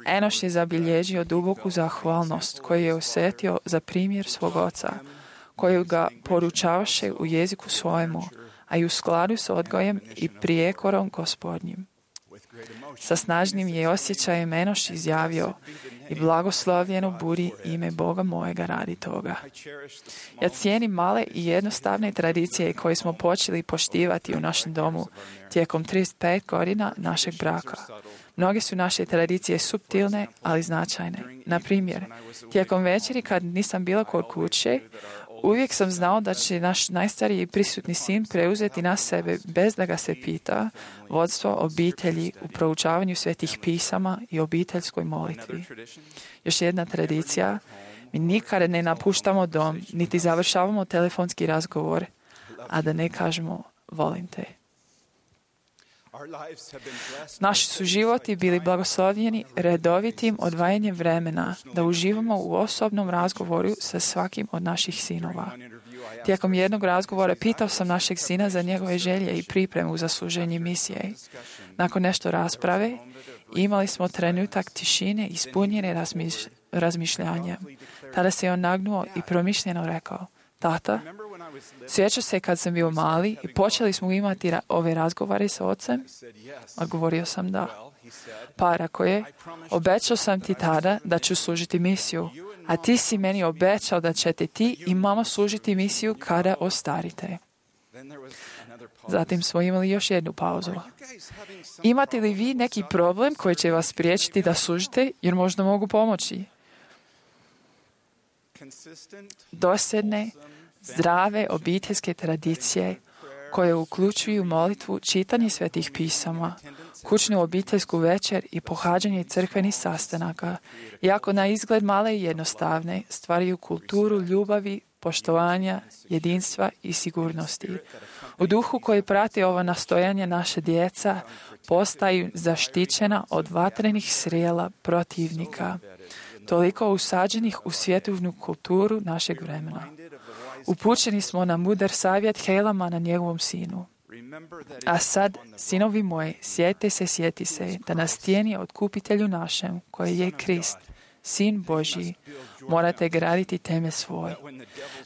Enoš je zabilježio duboku zahvalnost koju je osjetio za primjer svog oca, koju ga poručavaše u jeziku svojemu, a i u skladu s odgojem i prijekorom Gospodnjim. Sa snažnim je osjećajem Enoš izjavio: I blagoslovljeno budi ime Boga mojega radi toga. Ja cijenim male i jednostavne tradicije koje smo počeli poštivati u našem domu tijekom trideset pet godina našeg braka. Mnoge su naše tradicije suptilne, ali značajne. Na primjer, tijekom večeri kad nisam bila kod kuće, uvijek sam znao da će naš najstariji prisutni sin preuzeti na sebe, bez da ga se pita, vodstvo obitelji u proučavanju svetih pisama i obiteljskoj molitvi. Još jedna tradicija: mi nikada ne napuštamo dom, niti završavamo telefonski razgovor, a da ne kažemo volim te. Naši su životi bili blagoslovljeni redovitim odvajanjem vremena da uživamo u osobnom razgovoru sa svakim od naših sinova. Tijekom jednog razgovora pitao sam našeg sina za njegove želje i pripremu za služenje misije. Nakon nešto rasprave imali smo trenutak tišine ispunjene razmiš- razmišljanja. Tada se on nagnuo i promišljeno rekao: Tata, sjećaš se kad sam bio mali i počeli smo imati ra- ove razgovore sa ocem? Odgovorio sam da. Pa rekao je: obećao sam ti tada da ću služiti misiju, a ti si meni obećao da ćete ti i mama služiti misiju kada ostarite. Zatim smo imali još jednu pauzu. Imate li vi neki problem koji će vas spriječiti da služite, jer možda mogu pomoći? Dosljedne, zdrave obiteljske tradicije koje uključuju molitvu, čitanje svetih pisama, kućnu obiteljsku večer i pohađanje crkvenih sastanaka, iako na izgled male i jednostavne, stvaraju kulturu ljubavi, poštovanja, jedinstva i sigurnosti. U duhu koji prati ova nastojanja naše djeca postaju zaštićena od vatrenih strijela protivnika, toliko usađenih u svjetovnu kulturu našeg vremena. Upućeni smo na mudar savjet Helama na njegovom sinu. A sad, sinovi moji, sjete se, sjeti se, da na stijeni otkupitelju našem, koji je Krist, Sin Božji, morate graditi temelj svoj.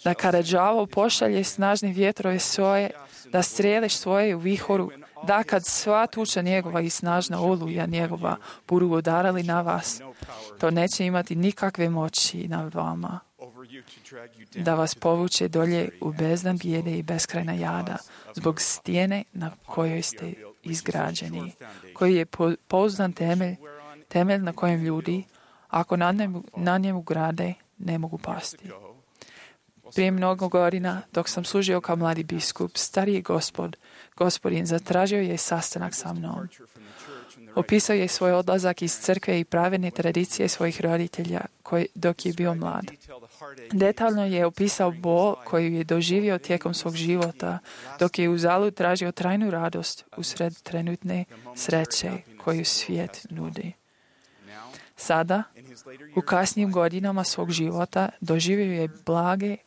Da kada đavo pošalje snažne vjetrove svoje, da streliš svoje u vihoru, da kad sva tuča njegova i snažna oluja njegova budu udarali na vas, to neće imati nikakve moći nad vama. Da vas povuče dolje u bezdan bijede i beskrajna jada, zbog stijene na kojoj ste izgrađeni, koji je pouzdan temelj, temelj na kojem ljudi, ako na njemu, na njemu grade, ne mogu pasti. Prije mnogo godina, dok sam služio kao mladi biskup, stariji gospod, gospodin, zatražio je sastanak sa mnom. Opisao je svoj odlazak iz crkve i pravedne tradicije svojih roditelja koji, dok je bio mlad. Detaljno je opisao bol koju je doživio tijekom svog života, dok je uzalud tražio trajnu radost usred trenutne sreće koju svijet nudi. Sada, u kasnijim godinama svog života, doživio je blage,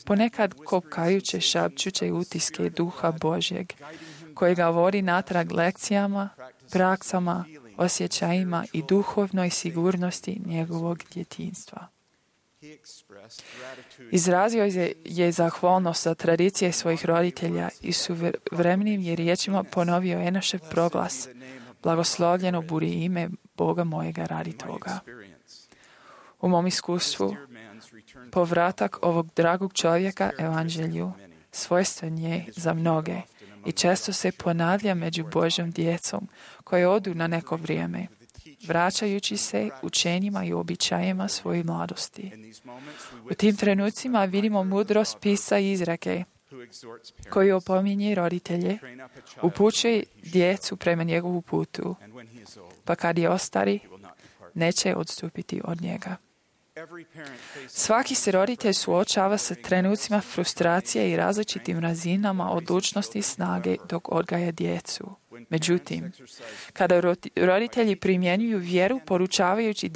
ponekad kopkajuće, šapćuće utiske duha Božjeg, koji ga vodi natrag lekcijama, praksama, osjećajima i duhovnoj sigurnosti njegovog djetinjstva. Izrazio je, je zahvalnost za tradicije svojih roditelja i suvremenim je riječima ponovio Enošev proglas: blagoslovljeno budi ime Boga mojega radi toga. U mom iskustvu, povratak ovog dragog čovjeka evanđelju svojstven je za mnoge i često se ponavlja među Božjom djecom koje odu na neko vrijeme, vraćajući se učenjima i običajima svoje mladosti. U tim trenucima vidimo mudrost pisa i izreke koji opominje roditelje, upućuje djecu prema njegovu putu, pa kad je ostari, neće odstupiti od njega. Svaki se roditelj suočava sa trenucima frustracije i različitim razinama odlučnosti i snage dok odgaja djecu. Međutim, kada roditelji primjenjuju vjeru poručavajući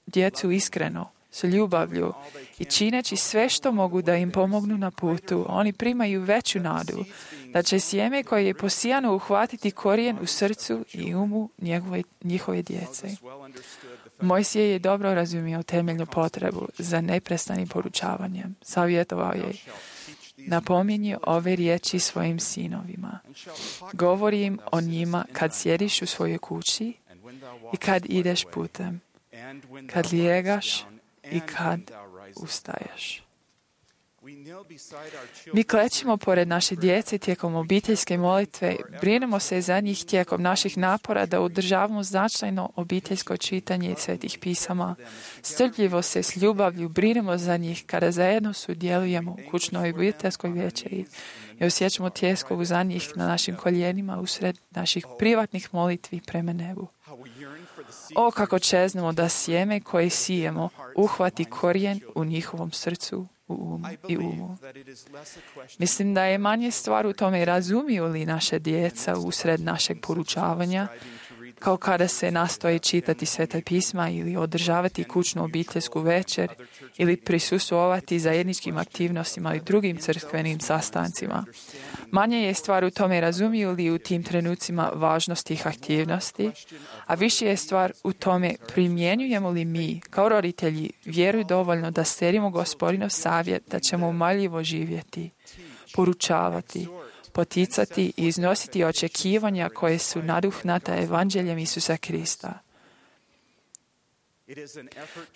djecu iskreno, s ljubavlju i čineći sve što mogu da im pomognu na putu, oni primaju veću nadu da će sjeme koje je posijano uhvatiti korijen u srcu i umu njegove, njihove djece. Mojsije je dobro razumio temeljnu potrebu za neprestanim poručavanjem. Savjetovao je: napominji ove riječi svojim sinovima. Govori im o njima kad sjediš u svojoj kući i kad ideš putem, kad lijegaš i kad ustaješ. Mi klećimo pored naše djece tijekom obiteljske molitve, brinemo se za njih tijekom naših napora da održavamo značajno obiteljsko čitanje svetih pisama. Strpljivo se s ljubavlju brinemo za njih kada zajedno sudjelujemo u kućnoj obiteljskoj večeri i osjećamo tjeskovu za njih na našim koljenima usred naših privatnih molitvi prema nebu. O, kako čeznemo da sjeme koje sijemo uhvati korijen u njihovom srcu u umu i umu. Mislim da je manje stvar u tome razumiju li naše djeca usred našeg poručavanja, kao kada se nastoji čitati Sveta pisma ili održavati kućnu obiteljsku večer ili prisustvovati zajedničkim aktivnostima i drugim crkvenim sastancima. Manje je stvar u tome razumiju li u tim trenucima važnost tih aktivnosti, a više je stvar u tome primjenjujemo li mi, kao roditelji, vjeru dovoljno da slijedimo Gospodinov savjet da ćemo umaljivo živjeti, poručavati, poticati i iznositi očekivanja koje su naduhnata evanđeljem Isusa Krista.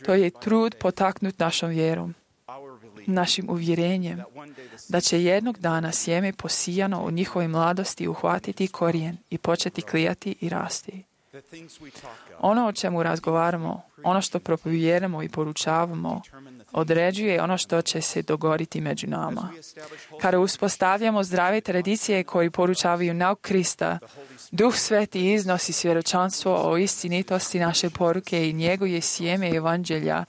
To je trud potaknut našom vjerom, našim uvjerenjem da će jednog dana sjeme posijano u njihovoj mladosti uhvatiti korijen i početi klijati i rasti. Ono o čemu razgovaramo, ono što propovijedamo i poručavamo, određuje ono što će se dogoditi među nama. Kada uspostavljamo zdrave tradicije koji poručavaju nauk Krista, Duh Sveti iznosi svjedočanstvo o istinitosti naše poruke i njeguje sjeme evanđelja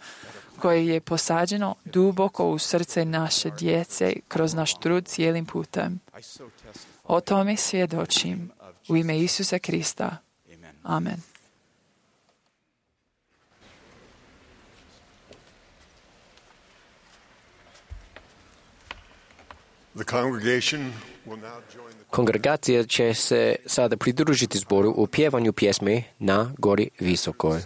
koje je posađeno duboko u srce naše djece kroz naš trud cijelim putem. O tome svjedočim u ime Isusa Krista. Amen. The congregation Kongregacija će se sada pridružiti zboru u pjevanju pjesme Na gori visokoj.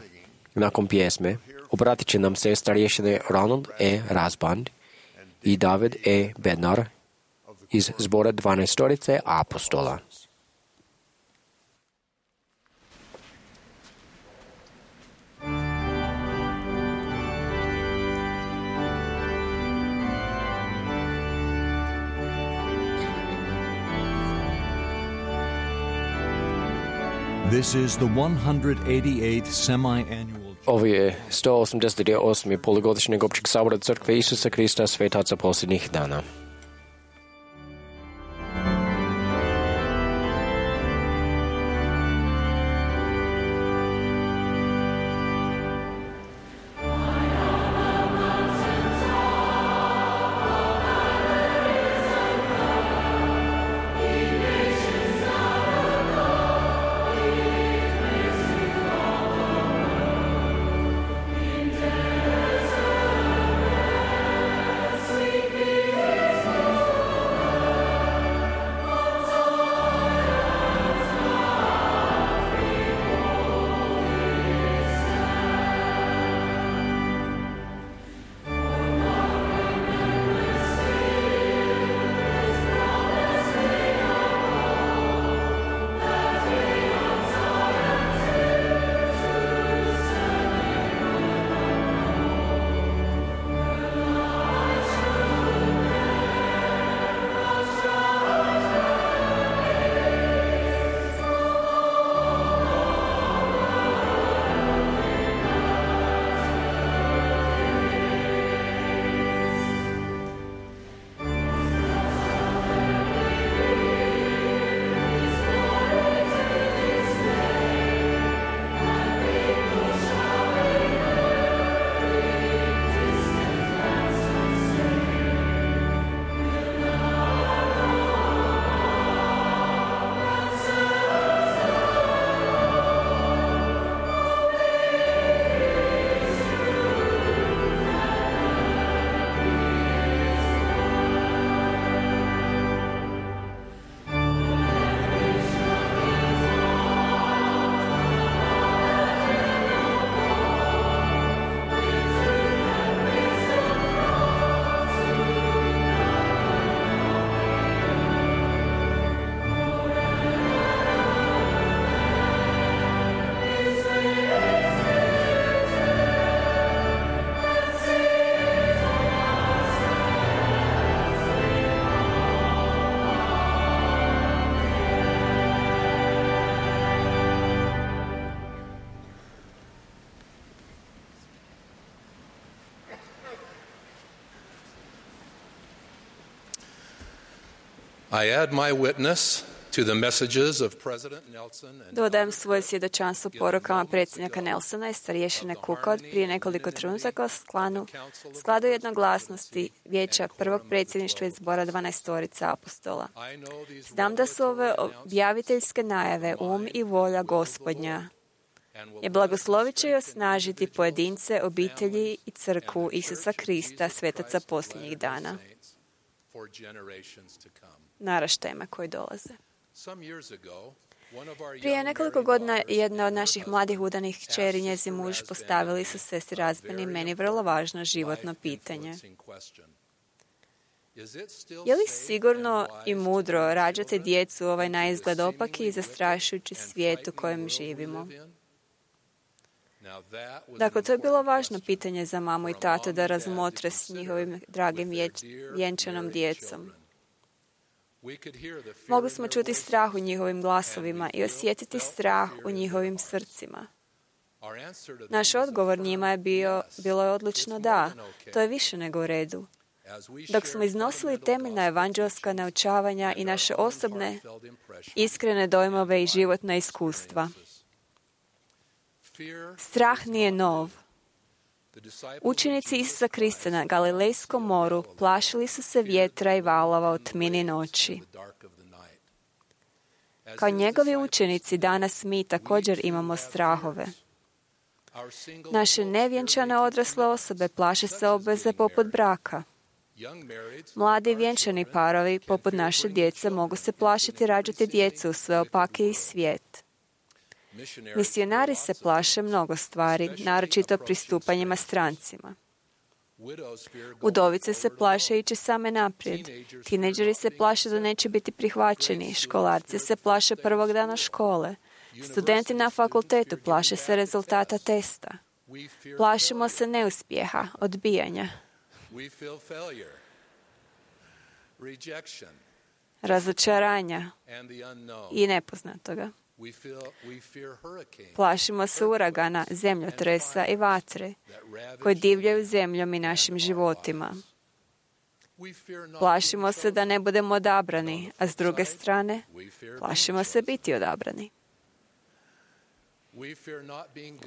Nakon pjesme obratit će nam se starješine Ronald E. Rasband i David E. Bednar iz zbora dvanaestorice apostola. This is the one hundred eighty-eighth semi-annual. Ovo je sto osamdeset osmi polugodišnjeg općeg sabora Crkve Isusa Krista svetaca posljednjih dana. I add my witness to the messages of President Nelson and Dodajem svoje svjedočanstvo porukama predsjednika Nelsona i starješine Cooka od prije nekoliko trenutaka o skladu, skladu jednoglasnosti vijeća prvog predsjedništva iz zbora dvanaestorica apostola. Znam da su ove objaviteljske najave um i volja Gospodnja. Je blagoslovit će i osnažiti pojedince, obitelji i crkvu Isusa Krista, svetaca posljednjih dana, naraštajima koji dolaze. Prije nekoliko godina jedna od naših mladih udanih kćeri i njezin muž postavili su sestri Razbeni meni vrlo važno životno pitanje. Je li sigurno i mudro rađati djecu u ovaj naizgled opaki i zastrašujući svijet u kojem živimo? Dakle, to je bilo važno pitanje za mamu i tatu da razmotre s njihovim dragim vjenčanom djecom. Mogli smo čuti strah u njihovim glasovima i osjetiti strah u njihovim srcima. Naš odgovor njima je bio, bilo je odlično da, to je više nego u redu. Dok smo iznosili temeljna evanđelska naučavanja i naše osobne, iskrene dojmove i životna iskustva. Strah nije nov. Učenici Isusa Krista na Galilejskom moru plašili su se vjetra i valova u tmini noći. Kao njegovi učenici danas mi također imamo strahove. Naše nevjenčane odrasle osobe plaše se obveze poput braka. Mladi vjenčani parovi, poput naše djece, mogu se plašiti rađati djecu u sve opakiji svijet. Misionari se plaše mnogo stvari, naročito pristupanjima strancima. Udovice se plaše ići same naprijed. Tinejdžeri se plaše da neće biti prihvaćeni. Školarci se plaše prvog dana škole. Studenti na fakultetu plaše se rezultata testa. Plašimo se neuspjeha, odbijanja, razočaranja i nepoznatoga. Plašimo se uragana, zemljotresa i vatre koji divljaju zemljom i našim životima. Plašimo se da ne budemo odabrani, a s druge strane, plašimo se biti odabrani.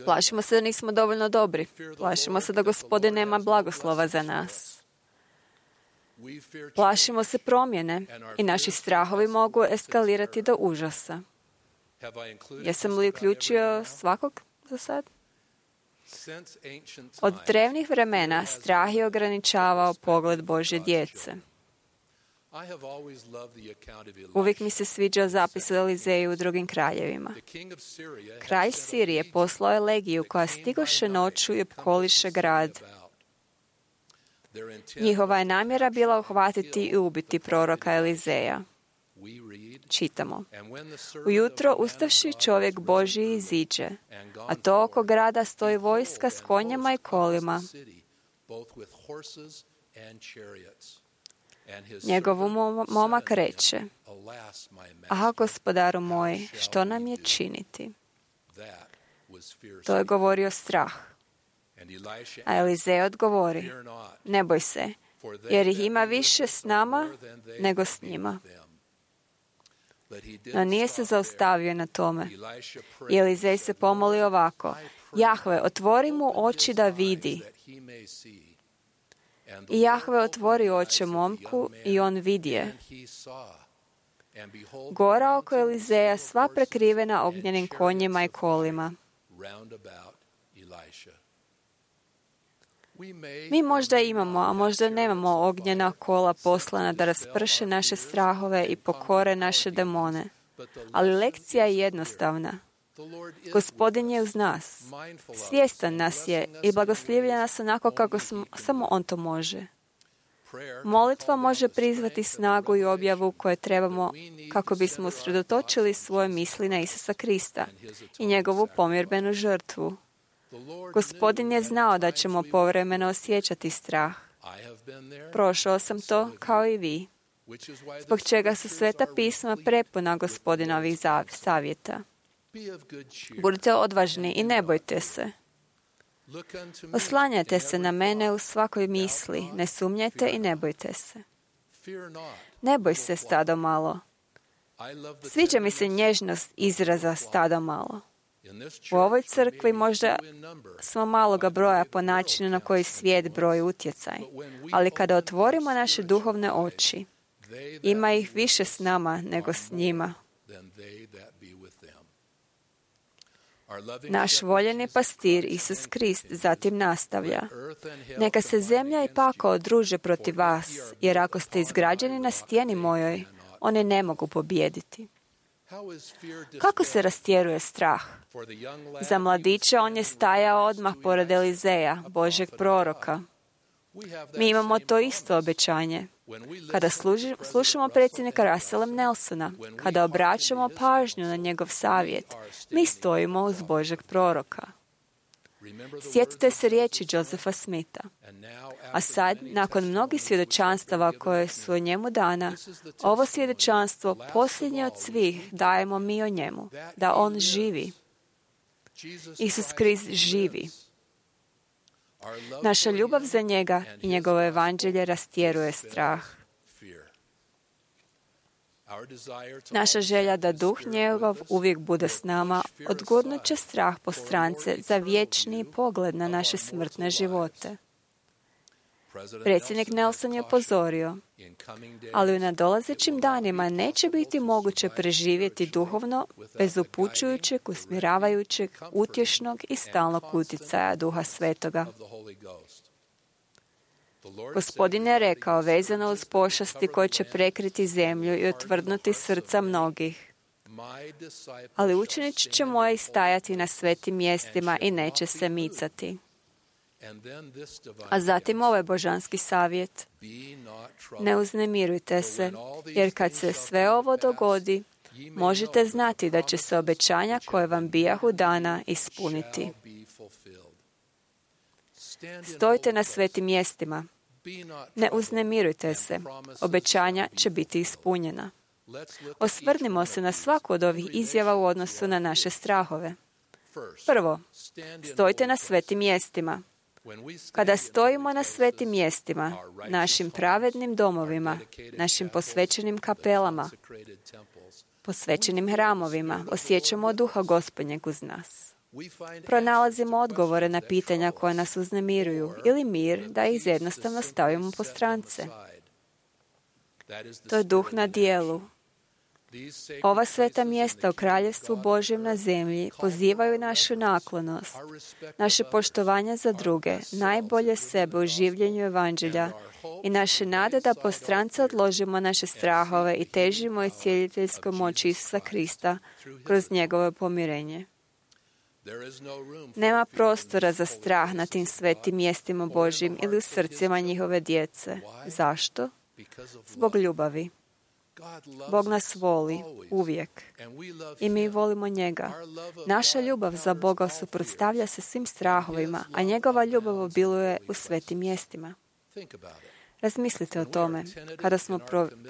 Plašimo se da nismo dovoljno dobri. Plašimo se da Gospodin nema blagoslova za nas. Plašimo se promjene i naši strahovi mogu eskalirati do užasa. Jesam li uključio svakog za sad? Od drevnih vremena strah je ograničavao pogled Božje djece. Uvijek mi se sviđao zapis o Elizeju u drugim kraljevima. Kralj Sirije poslao je legiju koja stigoše noću i opkoliše grad. Njihova je namjera bila uhvatiti i ubiti proroka Elizeja. Čitamo. Ujutro ustavši čovjek Božji iziđe, a to oko grada stoji vojska s konjama i kolima. Njegov momak reče: Aha, gospodaru moj, što nam je činiti? To je govorio strah. A Elizej odgovori: Ne boj se, jer ih ima više s nama nego s njima. No nije se zaustavio na tome. I Elizej se pomoli ovako: Jahve, otvori mu oči da vidi. I Jahve otvori oči momku i on vidje. Gora oko Elizeja sva prekrivena ognjenim konjima i kolima. Mi možda imamo, a možda nemamo ognjena kola poslana da rasprše naše strahove i pokore naše demone. Ali lekcija je jednostavna. Gospodin je uz nas. Svjestan nas je i blagoslivlja nas onako kako smo, samo On to može. Molitva može prizvati snagu i objavu koje trebamo kako bismo usredotočili svoje misli na Isusa Krista i njegovu pomirbenu žrtvu. Gospodin je znao da ćemo povremeno osjećati strah. Prošao sam to kao i vi. Zbog čega su Sveta pisma prepuna Gospodinovih savjeta. Budite odvažni i ne bojte se. Oslanjajte se na mene u svakoj misli, ne sumnjajte i ne bojte se. Ne boj se, stado malo. Sviđa mi se nježnost izraza stado malo. U ovoj crkvi možda smo maloga broja po načinu na koji svijet broji utjecaj, ali kada otvorimo naše duhovne oči, ima ih više s nama nego s njima. Naš voljeni pastir Isus Krist zatim nastavlja: Neka se zemlja i pakao druže protiv vas, jer ako ste izgrađeni na stijeni mojoj, one ne mogu pobijediti. Kako se rastjeruje strah? Za mladića on je stajao odmah pored Elizeja, Božjeg proroka. Mi imamo to isto obećanje. Kada služi, slušamo predsjednika Russella Nelsona, kada obraćamo pažnju na njegov savjet, mi stojimo uz Božjeg proroka. Sjetite se riječi Josepha Smitha. A sad, nakon mnogih svjedočanstava koje su o njemu dana, ovo svjedočanstvo, posljednje od svih, dajemo mi o njemu, da on živi. Isus Krist živi. Naša ljubav za njega i njegovo evanđelje rastjeruje strah. Naša želja da duh njegov uvijek bude s nama odgurnut će strah po strance za vječni pogled na naše smrtne živote. Predsjednik Nelson je upozorio, ali u nadolazećim danima neće biti moguće preživjeti duhovno bez upućujućeg, usmjeravajućeg, utješnog i stalnog utjecaja Duha Svetoga. Gospodin je rekao vezano uz pošasti koje će prekriti zemlju i otvrdnuti srca mnogih. Ali učenici će moji stajati na svetim mjestima i neće se micati. A zatim ovaj božanski savjet. Ne uznemirujte se, jer kad se sve ovo dogodi, možete znati da će se obećanja koje vam bijahu dana ispuniti. Stojite na svetim mjestima. Ne uznemirujte se. Obećanja će biti ispunjena. Osvrnimo se na svaku od ovih izjava u odnosu na naše strahove. Prvo, stojite na svetim mjestima. Kada stojimo na svetim mjestima, našim pravednim domovima, našim posvećenim kapelama, posvećenim hramovima, osjećamo duha Gospodnjeg uz nas. Pronalazimo odgovore na pitanja koja nas uznemiruju ili mir da ih jednostavno stavimo po strance. To je duh na dijelu. Ova sveta mjesta u Kraljevstvu Božjem na zemlji pozivaju našu naklonost, naše poštovanje za druge, najbolje sebe u življenju evanđelja i naše nade da po strance odložimo naše strahove i težimo iscijeliteljskoj moći Isusa Krista kroz njegovo pomirenje. Nema prostora za strah na tim svetim mjestima Božjim ili u srcima njihove djece. Zašto? Zbog ljubavi. Bog nas voli uvijek i mi volimo njega. Naša ljubav za Boga suprotstavlja se svim strahovima, a njegova ljubav obiluje u svetim mjestima. Razmislite o tome. Kada smo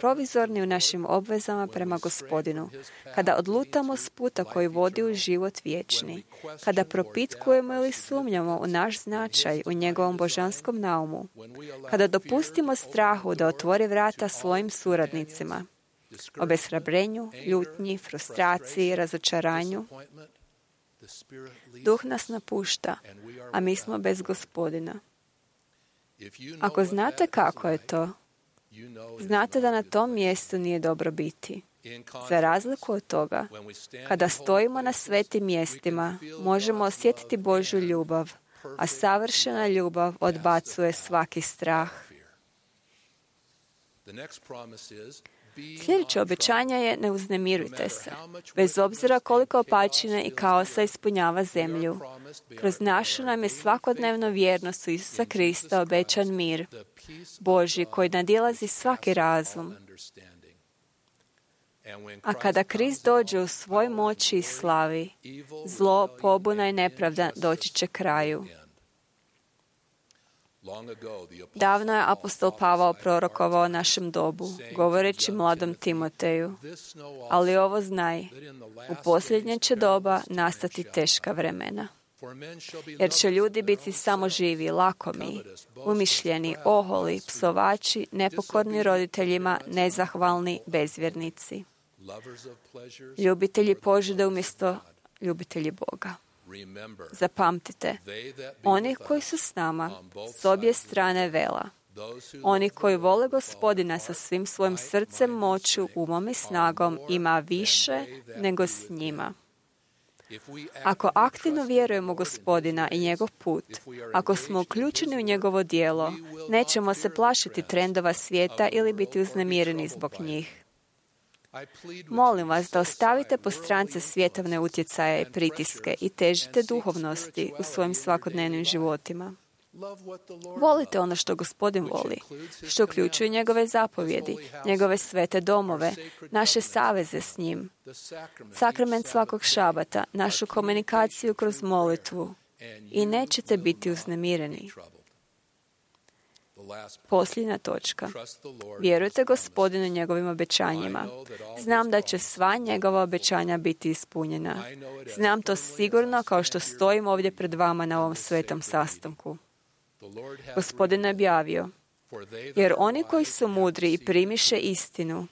provizorni u našim obvezama prema Gospodinu, kada odlutamo s puta koji vodi u život vječni, kada propitkujemo ili sumnjamo u naš značaj u njegovom božanskom naumu, kada dopustimo strahu da otvori vrata svojim suradnicima, obeshrabrenju, ljutnji, frustraciji, razočaranju, duh nas napušta, a mi smo bez Gospodina. Ako znate kako je to, znate da na tom mjestu nije dobro biti. Za razliku od toga, kada stojimo na svetim mjestima, možemo osjetiti Božju ljubav, a savršena ljubav odbacuje svaki strah. Sljedeće obećanje je ne uznemirujte se, bez obzira koliko opačine i kaosa ispunjava zemlju. Kroz našu nam je svakodnevno vjernost u Isusa Krista obećan mir, Božji koji nadilazi svaki razum. A kada Krist dođe u svoj moći i slavi, zlo, pobuna i nepravda doći će kraju. Davno je apostol Pavao prorokovao našem dobu, govoreći mladom Timoteju, ali ovo znaj, u posljednje će doba nastati teška vremena. Jer će ljudi biti samo živi, lakomi, umišljeni, oholi, psovači, nepokorni roditeljima, nezahvalni, bezvjernici. Ljubitelji požude umjesto ljubitelji Boga. Zapamtite, oni koji su s nama s obje strane vela, oni koji vole Gospodina sa svim svojim srcem, moću, umom i snagom, ima više nego s njima. Ako aktivno vjerujemo u Gospodina i njegov put, ako smo uključeni u njegovo djelo, nećemo se plašiti trendova svijeta ili biti uznemireni zbog njih. Molim vas da ostavite po strance svjetovne utjecaje i pritiske i težite duhovnosti u svojim svakodnevnim životima. Volite ono što Gospodin voli, što uključuje njegove zapovjedi, njegove svete domove, naše saveze s njim, sakrament svakog šabata, našu komunikaciju kroz molitvu i nećete biti uznemireni. Posljednja točka. Vjerujte Gospodinu njegovim obećanjima. Znam da će sva njegova obećanja biti ispunjena. Znam to sigurno kao što stojim ovdje pred vama na ovom svetom sastanku. Gospodin je objavio, jer oni koji su mudri i primiše istinu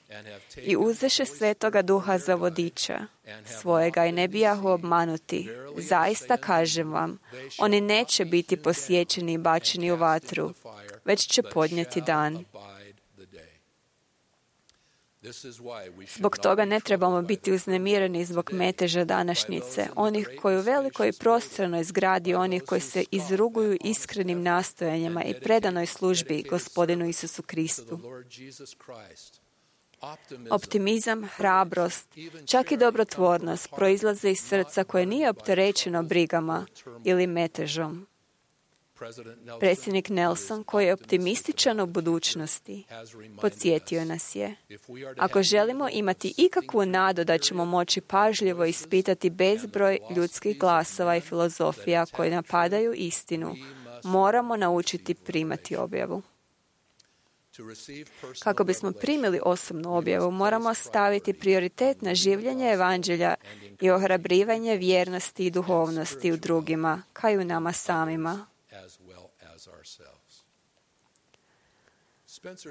i uzeše svetoga duha za vodiča svojega i ne bijahu obmanuti, zaista kažem vam, oni neće biti posjećeni i bačeni u vatru, već će podnijeti dan. Zbog toga ne trebamo biti uznemireni zbog meteža današnjice, onih koji u velikoj i prostranoj zgradi, onih koji se izruguju iskrenim nastojanjima i predanoj službi Gospodinu Isusu Kristu. Optimizam, hrabrost, čak i dobrotvornost proizlaze iz srca koje nije opterećeno brigama ili metežom. Predsjednik Nelson, koji je optimističan u budućnosti, podsjetio nas je: ako želimo imati ikakvu nadu da ćemo moći pažljivo ispitati bezbroj ljudskih glasova i filozofija koji napadaju istinu, moramo naučiti primati objavu. Kako bismo primili osobnu objavu, moramo staviti prioritet na življenje evanđelja i ohrabrivanje vjernosti i duhovnosti u drugima, kao i u nama samima.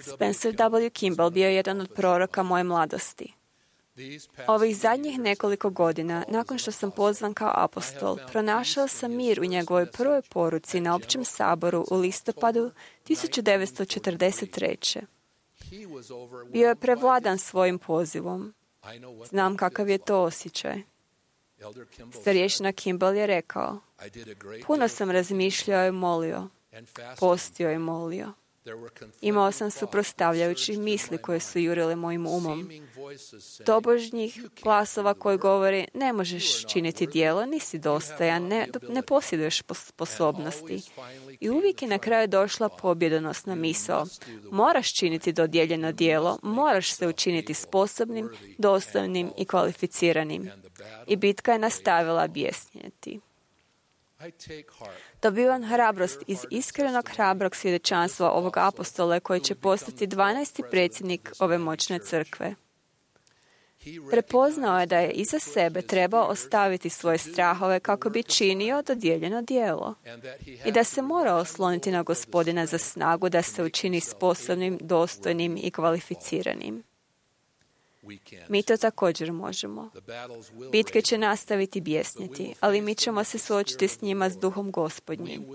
Spencer W. Kimball bio je jedan od proroka moje mladosti. Ovih zadnjih nekoliko godina, nakon što sam pozvan kao apostol, pronašao sam mir u njegovoj prvoj poruci na općem saboru u listopadu tisuću devetsto četrdeset treće. Bio je prevladan svojim pozivom. Znam kakav je to osjećaj. Starješina Kimball je rekao: puno sam razmišljao i molio, postio i molio. Imao sam suprotstavljajućih misli koje su jurile mojim umom. Tobožnjih glasova koji govori: ne možeš činiti djelo, nisi dostojan, ne, ne posjeduješ sposobnosti. I uvijek je na kraju došla pobjedonosna misao: moraš činiti dodijeljeno djelo, moraš se učiniti sposobnim, dostojnim i kvalificiranim. I bitka je nastavila bjesnjeti. Dobivam hrabrost iz iskrenog hrabrog svjedočanstva ovog apostola koji će postati dvanaesti predsjednik ove moćne crkve. Prepoznao je da je iza sebe trebao ostaviti svoje strahove kako bi činio dodijeljeno djelo i da se mora osloniti na Gospodina za snagu da se učini sposobnim, dostojnim i kvalificiranim. Mi to također možemo. Bitke će nastaviti bjesnjeti, ali mi ćemo se suočiti s njima s duhom Gospodnjim.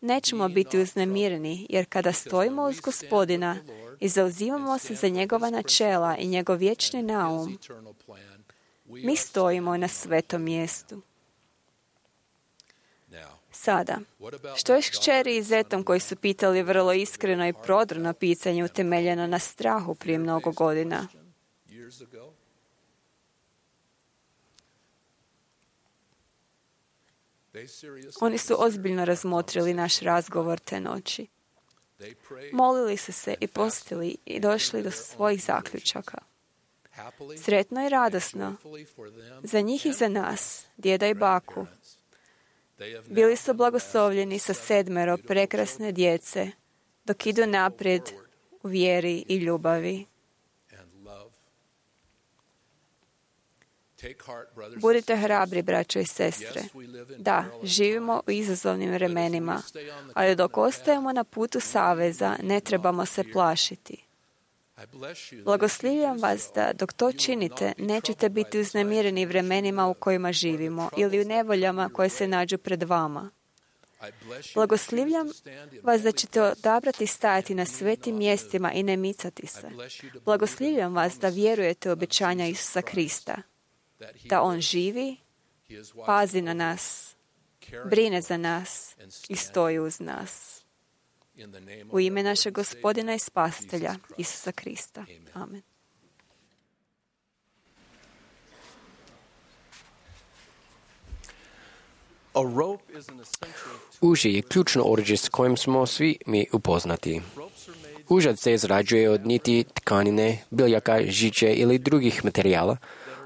Nećemo biti uznemireni, jer kada stojimo uz Gospodina i zauzimamo se za njegova načela i njegov vječni naum, mi stojimo na svetom mjestu. Sada, što je s kćeri i zetom koji su pitali vrlo iskreno i prodorno pitanje utemeljeno na strahu prije mnogo godina? Oni su ozbiljno razmotrili naš razgovor te noći. Molili su se i postili i došli do svojih zaključaka. Sretno i radosno za njih i za nas, djeda i baku. Bili su blagoslovljeni sa sedmero prekrasne djece, dok idu naprijed u vjeri i ljubavi. Budite hrabri, braćo i sestre. Da, živimo u izazovnim vremenima, ali dok ostajemo na putu saveza, ne trebamo se plašiti. Blagoslivljam vas da dok to činite, nećete biti uznemireni vremenima u kojima živimo ili u nevoljama koje se nađu pred vama. Blagoslivljam vas da ćete odabrati stajati na svetim mjestima i ne micati se. Blagoslivljam vas da vjerujete u obećanja Isusa Krista, da On živi, pazi na nas, brine za nas i stoji uz nas. U ime našeg Gospodina i Spasitelja, Isusa Krista. Amen. Uže je ključno oruđe s kojim smo svi mi upoznati. Užad se izrađuje od niti tkanine, biljaka, žiče ili drugih materijala,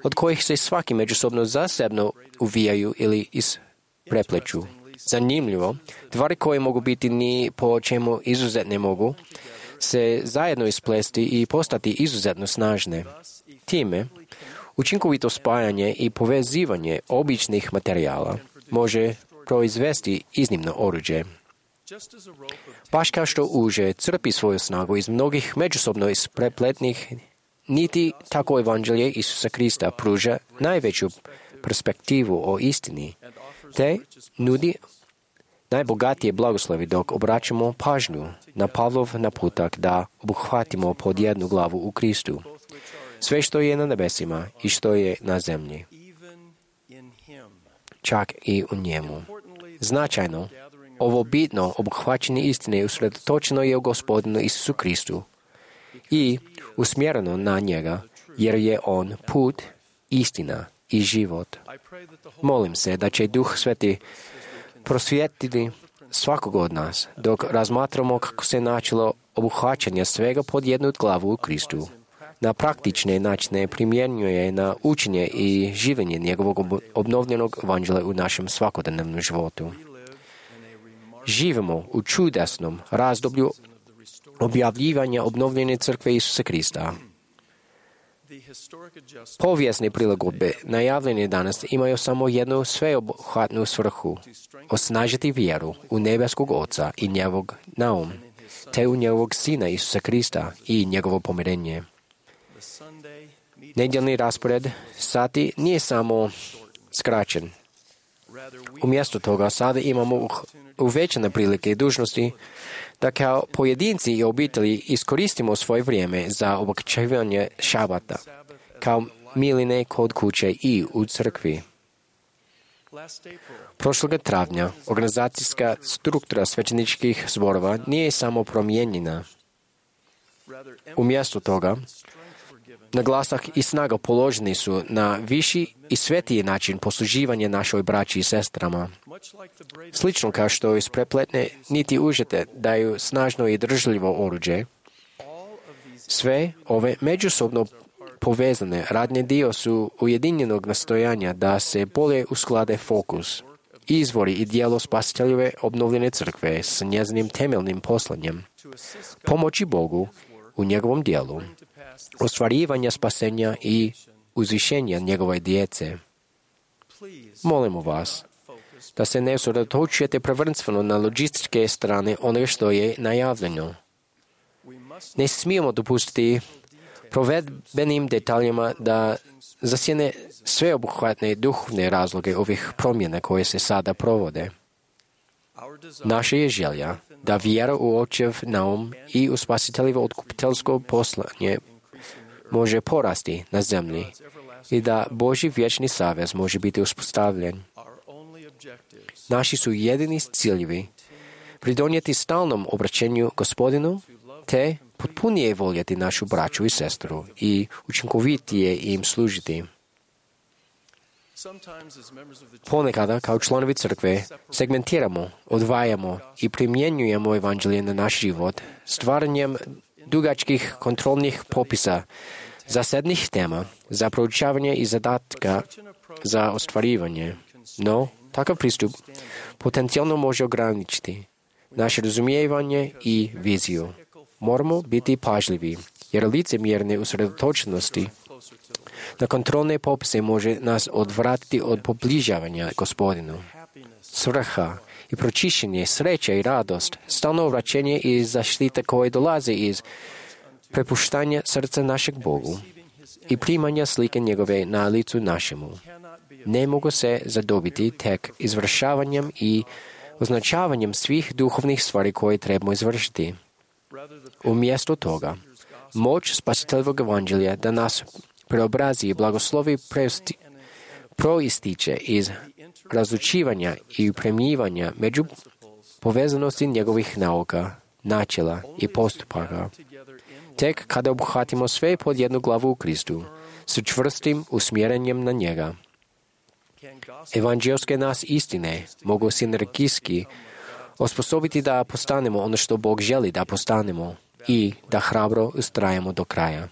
od kojih se svaki međusobno zasebno uvijaju ili isprepleću. Zanimljivo, tvari koje mogu biti ni po čemu izuzetne mogu se zajedno isplesti i postati izuzetno snažne. Time, učinkovito spajanje i povezivanje običnih materijala može proizvesti iznimno oruđe. Baš kao što uže crpi svoju snagu iz mnogih međusobno isprepletnih niti tako evanđelje Isusa Krista pruža najveću perspektivu o istini, te nudi najbogatije blagoslovi dok obraćamo pažnju na Pavlov naputak da obuhvatimo pod jednu glavu u Kristu. Sve što je na nebesima i što je na zemlji, čak i u njemu. Značajno, ovo bitno obuhvaćenje istine usredotočeno je u Gospodinu Isusu Kristu i usmjereno na njega, jer je on put, istina i život. Molim se da će Duh Sveti prosvijetliti svakog od nas, dok razmatramo kako se načelo obuhvaćanja svega pod jednu glavu u Kristu, na praktične načine primjenjuje na učenje i življenje njegovog obnovljenog evanđelja u našem svakodnevnom životu. Živimo u čudesnom razdoblju objavljivanja obnovljene crkve Isusa Krista. Povijesne prilagodbe najavljene danas imaju samo jednu sveobuhvatnu svrhu – osnažiti vjeru u nebeskog Oca i njegovog naum, te u njegovog Sina Isusa Krista i njegovo pomirenje. Nedjeljni raspored sati nije samo skraćen. Umjesto toga sada imamo uvećane prilike i dužnosti da kao pojedinci i obitelji iskoristimo svoje vrijeme za obogaćivanje šabata, kao miline kod kuće i u crkvi. Prošloga travnja organizacijska struktura svećeničkih zborova nije samo promijenjena. Umjesto toga, naglasak i snaga položeni su na viši i svetiji način posluživanja našoj braći i sestrama. Slično kao što isprepletne niti užete daju snažno i držljivo oruđe, sve ove međusobno povezane radne dio su ujedinjenog nastojanja da se bolje usklade fokus, izvori i dijelo spasiteljeve obnovljene crkve s njezinim temeljnim poslanjem, pomoći Bogu u njegovom dijelu, ostvarivanja spasenja i uzvišenja njegove djece. Molimo vas da se ne usredotočujete prvenstveno na logističke strane onoga što je najavljeno. Ne smijemo dopustiti provedbenim detaljima da zasjene sveobuhvatne duhovne razloge ovih promjena koje se sada provode. Naša je želja da vjera u Očev naum i u spasiteljevo otkupiteljsko poslanje može porasti na zemlji i da Božji vječni savez može biti uspostavljen. Naši su jedini ciljevi pridonijeti stalnom obraćenju Gospodinu te potpunije voljeti našu braću i sestru i učinkovitije im služiti. Ponekada, kao članovi crkve, segmentiramo, odvajamo i primjenjujemo evanđelje na naš život stvaranjem dugačkih kontrolnih popisa zasebnih tema za proučavanje i zadatka za ostvarivanje. No, takav pristup potencijalno može ograničiti naše razumijevanje i viziju. Moramo biti pažljivi, jer licemjerne usredotočenosti na kontrolne popise može nas odvratiti od pobližavanja Gospodinu. Svrha i pročišćenje, sreća i radost, stalno vraćanje i zaštita koje dolaze iz prepuštanja srca našeg Bogu i primanja slike njegove na licu našemu. Ne mogu se zadobiti tek izvršavanjem i označavanjem svih duhovnih stvari koje trebamo izvršiti. Umjesto toga, moć spasiteljevog evanđelja da nas preobrazi i blagoslovi proističe iz razučivanja i premjivanja među povezanosti njegovih nauka, načela i postupaka. Tek kada obuhvatimo sve pod jednu glavu u Kristu, s čvrstim usmjerenjem na njega, evanđelske nas istine mogu sinergijski osposobiti da postanemo ono što Bog želi da postanemo i da hrabro ustrajemo do kraja.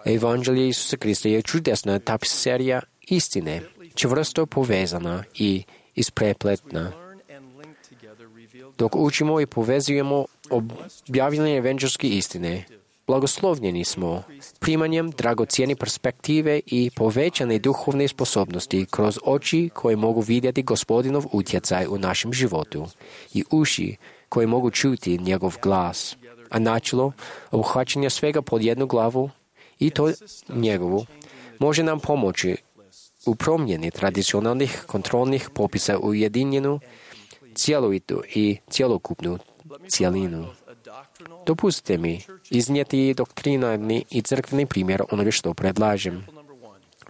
Evanđelje Isusa Krista je čudesna tapiserija istine, čvrsto povezana i isprepletna. Dok učimo i povezujemo objavljene evanđelske istine, blagoslovljeni smo primanjem dragocjene perspektive i povećane duhovne sposobnosti kroz oči koje mogu vidjeti Gospodinov utjecaj u našem životu i uši koje mogu čuti njegov glas, a načelo obuhvaćanja svega pod jednu glavu i to njegovu može nam pomoći u promjeni tradicionalnih kontrolnih popisa u ujedinjenu, cjelovitu i cjelokupnu cjelinu. Dopustite mi iznijeti doktrinarni i crkveni primjer onoga što predlažem.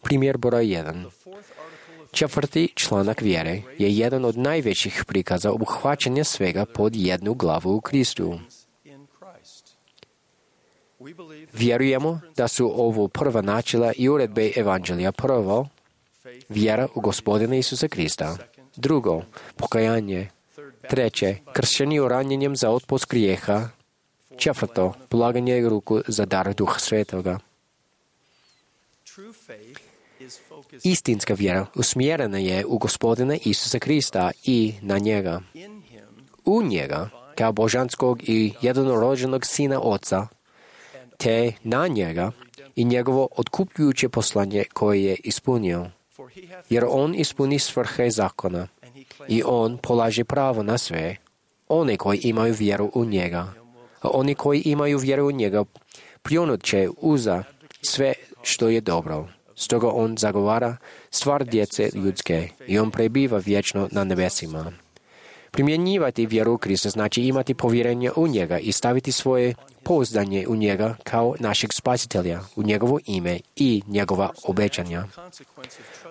Primjer broj jedan. Četvrti članak vjere je jedan od najvećih prikaza obuhvaćanja svega pod jednu glavu u Kristu. Vjerujemo da su ovo prva načela i uredbe evanđelja. Prvo, vjera u Gospodina Isusa Krista. Drugo, pokajanje. Treće, kršćenje ranjenjem za otpust grijeha. Četvrto, polaganje ruku za dar Duha Svetoga. Istinska vjera usmjerena je u Gospodina Isusa Krista i na njega. U njega, kao božanskog i jednorođenog sina Oca, te na njega i njegovo otkupljujuće poslanje koje je ispunio. Jer on ispuni svrhe zakona i on polaže pravo na sve one koji imaju vjeru u njega. A oni koji imaju vjeru u njega pljunut će uza sve što je dobro. Stoga on zagovara stvar djece ljudske i on prebiva vječno na nebesima. Primjenjivati vjeru u Krista znači imati povjerenje u njega i staviti svoje pouzdanje u njega kao našeg spasitelja, u njegovo ime i njegova obećanja.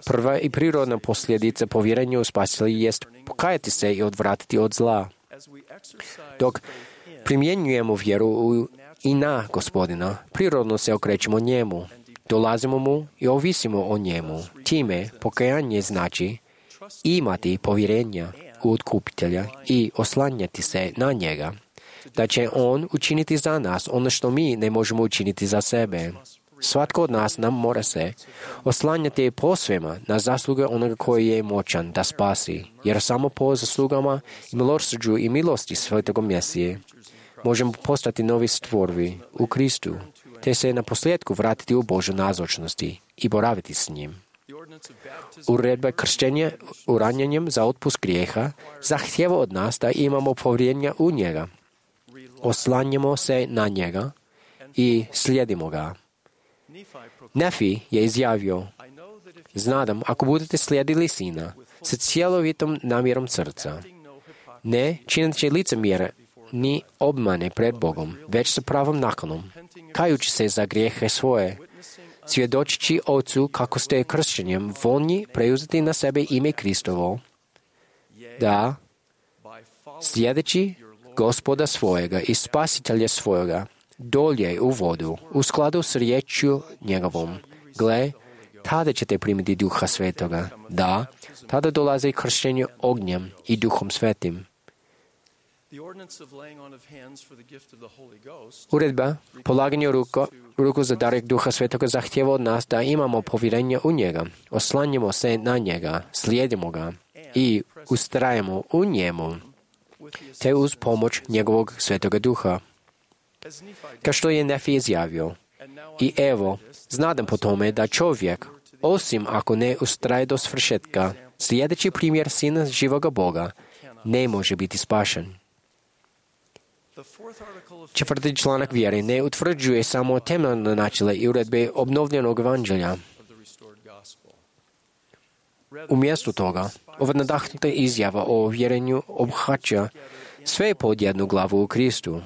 Prva i prirodna posljedica povjerenja u spasitelja jest pokajati se i odvratiti od zla. Dok primjenjujemo vjeru u i na Gospodina, prirodno se okrećemo njemu, dolazimo mu i ovisimo o njemu. Time pokajanje znači imati povjerenja u otkupitelja i oslanjati se na njega, da će on učiniti za nas ono što mi ne možemo učiniti za sebe. Svatko od nas nam mora se oslanjati posvema na zasluge onoga koji je moćan da spasi, jer samo po zaslugama i milosrđu i milosti Svetog Mesije možemo postati novi stvorovi u Kristu, te se na posljedku vratiti u Božju nazočnosti i boraviti s njim. Uredba krštenja ranjenjem za otpust grijeha zahtjeva od nas da imamo povjerenja u njega. Oslanjamo se na njega i slijedimo ga. Nefi je izjavio: Znadam, ako budete slijedili Sina sa cjelovitom namjerom srca, ne čineći licemjere ni obmane pred Bogom, već sa pravom nakanom, kajući se za grijehe svoje, svjedočići Ocu kako ste kršćenjem voljni preuzeti na sebe ime Kristovo, da, slijedeći Gospoda svojega i Spasitelja svojega, dolje u vodu, u skladu s riječju njegovom. Gle, tada ćete primiti Duha Svetoga. Da, tada dolazi kršćenje ognjem i Duhom Svetim. Uredba polaganja ruku, ruku za dar Duha Svetoga zahtjeva od nas da imamo povjerenje u njega, oslanjamo se na njega, slijedimo ga i ustrajemo u njemu, te uz pomoć njegovog Svetoga Duha. Kao što je Nefi izjavio: I evo, znadam po tome da čovjek, osim ako ne ustraje do svršetka, slijedeći primjer Sina živoga Boga, ne može biti spašen. Četvrti članak vjere ne utvrđuje samo temeljne načela i uredbe obnovljenog evanđelja. Umjesto toga, ova nadahnuta izjava o vjerenju obuhvaća sve pod jednu glavu u Kristu.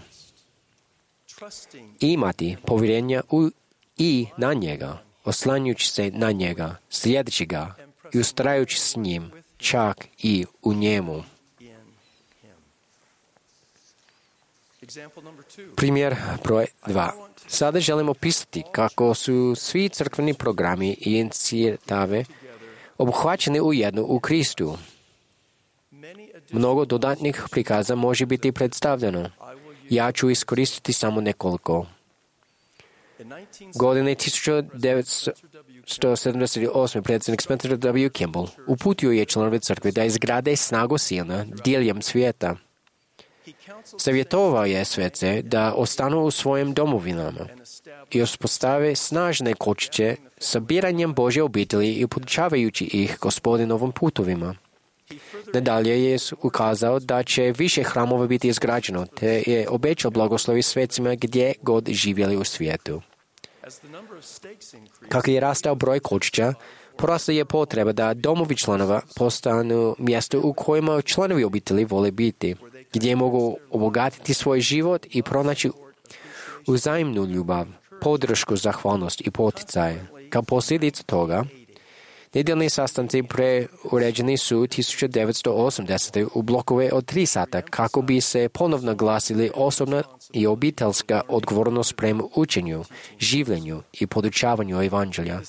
Imati povjerenja u i na njega, oslanjujući se na njega, slijedeći ga i ustrajući s njim, čak i u njemu. Primjer broj dva. Sada želimo opisati kako su svi crkveni programi i inicijatave obuhvaćeni u jednu u Kristu. Mnogo dodatnih prikaza može biti predstavljeno. Ja ću iskoristiti samo nekoliko. Godine tisuću devetsto sedamdeset osme predsjednik Spencer W. Kimball uputio je članove crkve da izgrade snagu Sina diljem svijeta. Savjetovao je svece da ostanu u svojim domovinama i uspostave snažne kočiće sabiranjem Božje obitelji i podučavajući ih Gospodinovim putovima. Nadalje je ukazao da će više hramova biti izgrađeno, te je obećao blagoslovi svecima gdje god živjeli u svijetu. Kako je rastao broj kočića, porasla je potreba da domovi članova postanu mjesto u kojima članovi obitelji vole biti. gdje mogu obogatiti svoj život i pronaći uzajamnu ljubav, podršku, zahvalnost i poticaje. Kao posljedicu toga, nedeljni sastanci preuređeni su tisuću devetsto osamdesete u blokove od tri sata kako bi se ponovno glasili osobna i obiteljska odgovornost prema učenju, življenju i podučavanju evanđelja.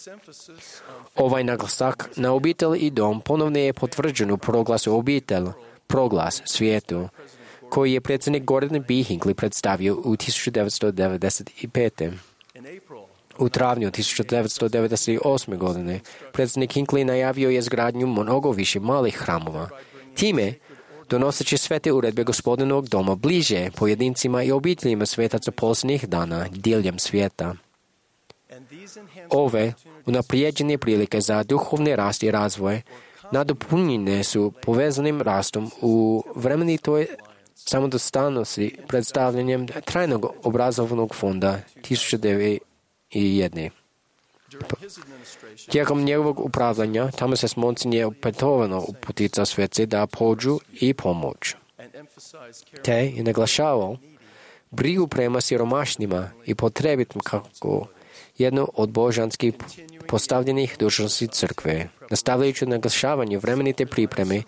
Ovaj naglasak na obitelj i dom ponovno je potvrđen u proglasu obitelj, proglas svijetu, koji je predsjednik Gordon B. Hinckley predstavio u tisuću devetsto devedeset pete. U travnju tisuću devetsto devedeset osme. godine predsjednik Hinckley najavio je izgradnju mnogo više malih hramova. Time, donoseći sve te uredbe Gospodinovog doma bliže pojedincima i obiteljima svetaca posljednjih dana diljem svijeta. Ove unaprijeđene prilike za duhovni rast i razvoj nadopunjene su povezanim rastom u vremenitoj samodostatnosti predstavljanjem trajnog obrazovnog fonda tisuću devetsto jedne. Tijekom njegovog upravljanja tamo se Monsignor opetovano uputica sveci da pođu i pomoć. Te je naglašavao brigu prema siromašnima i potrebitim kako jedno od božanskih postavljenih dužnosti crkve. Nastavljajući naglašavanje vremenite pripreme,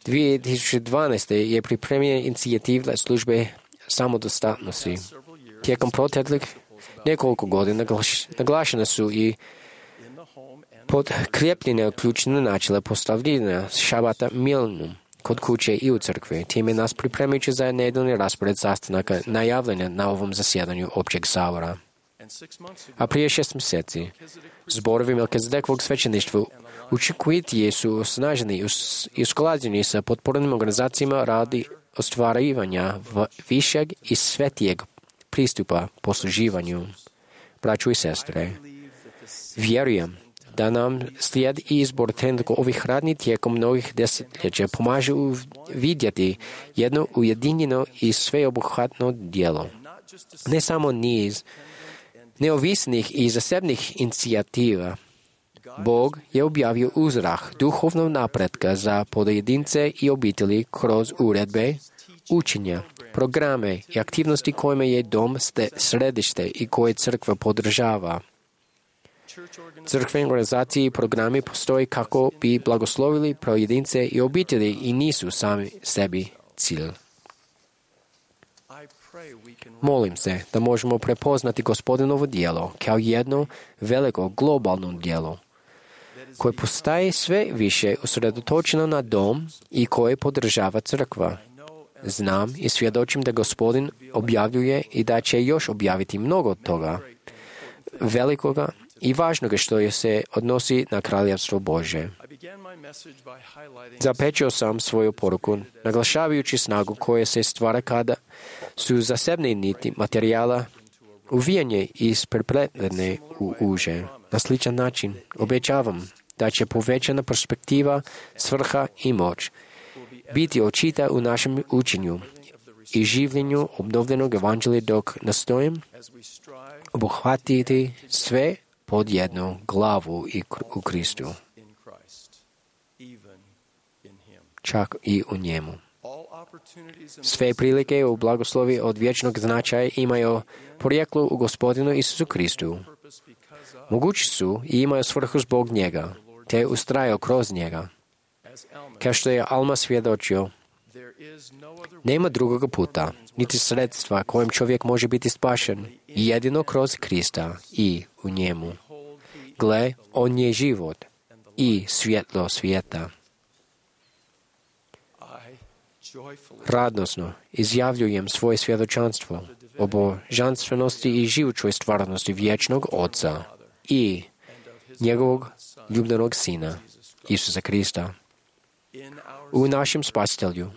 dvije tisuće dvanaeste. je pripremljena inicijativa službe samodostatnosti. Tijekom proteklih nekoliko godina naglašene su i podkrepljene ključne načela postavljena šabata milnom kod kuće i u crkvi. Time nas pripremajući za nedeljni raspored sastanaka najavljanja na ovom zasjedanju općeg sabora. A prije šest mjeseci, zborovi Melkizedekovog svećeništva učinkovitije su osnaženi i usklađeni sa potpornim organizacijama radi ostvarivanja višeg i svetijeg pristupa posluživanju. Braćo i sestre, vjerujem da nam slijed i izbor trenutno ovih radnji tijekom mnogih desetljeća pomaže vidjeti jedno ujedinjeno i sveobuhvatno djelo. Ne samo niz neovisnih i zasebnih inicijativa. Bog je objavio uzrah duhovnog napretka za pojedince i obitelji kroz uredbe, učenja, programe i aktivnosti kojima je dom središte i koje crkva podržava. Crkvene organizacije i programi postoje kako bi blagoslovili pojedince i obitelji i nisu sami sebi cilj. Molim se da možemo prepoznati Gospodinovo djelo kao jedno veliko globalno djelo koje postaje sve više usredotočeno na dom i koje podržava crkva. Znam i svjedočim da Gospodin objavljuje i da će još objaviti mnogo toga velikoga i važnoga što se odnosi na kraljevstvo Božje. Započeo sam svoju poruku naglašavajući snagu koja se stvara kada su zasebne niti materijala uvijanje i isprepletene u uže. Na sličan način obećavam da će povećana perspektiva, svrha i moć biti očita u našem učenju i življenju obnovljenog evanđelja dok nastojim obuhvatiti sve pod jednu glavu i u Kristu, čak i u njemu. Sve prilike u blagoslovi od vječnog značaja imaju porijeklo u Gospodinu Isusu Kristu. Mogući su i imaju svrhu zbog njega, te ustrajao kroz njega. Kao što je Alma svjedočio, nema drugoga puta, niti sredstva kojim čovjek može biti spašen, jedino kroz Krista i u njemu. Gle, on je život i svjetlo svijeta. Radosno izjavljujem svoje svjedočanstvo o božanstvenosti i živućoj stvarnosti vječnog Oca i njegovog ljubavnog Sina, Isusa Krista. U našem Spasitelju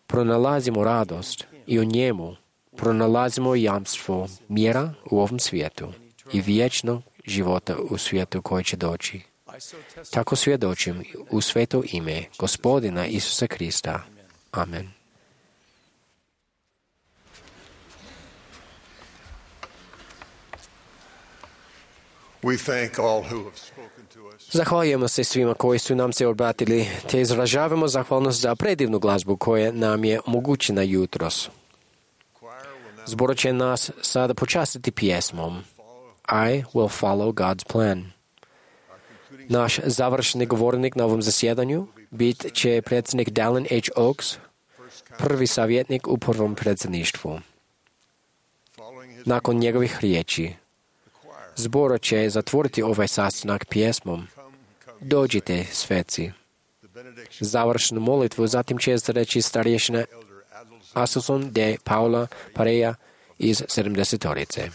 pronalazimo radost i u njemu pronalazimo jamstvo mira u ovom svijetu i vječnog života u svijetu koji će doći. Tako svjedočim u sveto ime Gospodina Isusa Krista. Amen. Zahvaljujemo se svima koji su nam se obratili, te izražavamo zahvalnost za predivnu glazbu koja nam je omogućena jutros. Zbor će nas sada počastiti pjesmom I will follow God's plan. Naš završni govornik na ovom zasjedanju bit će predsjednik Dallin H. Oaks, prvi savjetnik u prvom predsjedništvu. Nakon njegovih riječi, zbor će zatvoriti ovaj sastanak pjesmom Dođite, sveci. Završnu molitvu zatim će izreći starješina Asuson de Paula Pareja iz sedamdesetorice.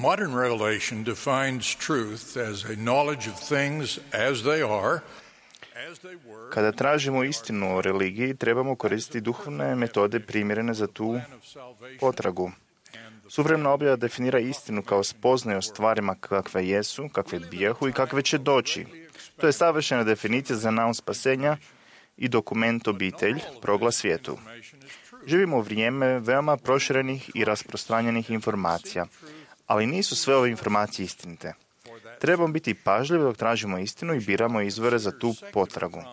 Modern revelation defines truth as a knowledge of things as they are. Kada tražimo istinu o religiji, trebamo koristiti duhovne metode primjerene za tu potragu. Suvremena objava definira istinu kao spoznaju o stvarima kakve jesu, kakve bijahu i kakve će doći. To je savršena definicija za naum spasenja i dokument obitelj, proglas svijetu. Živimo u vrijeme veoma proširenih i rasprostranjenih informacija, ali nisu sve ove informacije istinite. Trebamo biti pažljivi dok tražimo istinu i biramo izvore za tu potragu.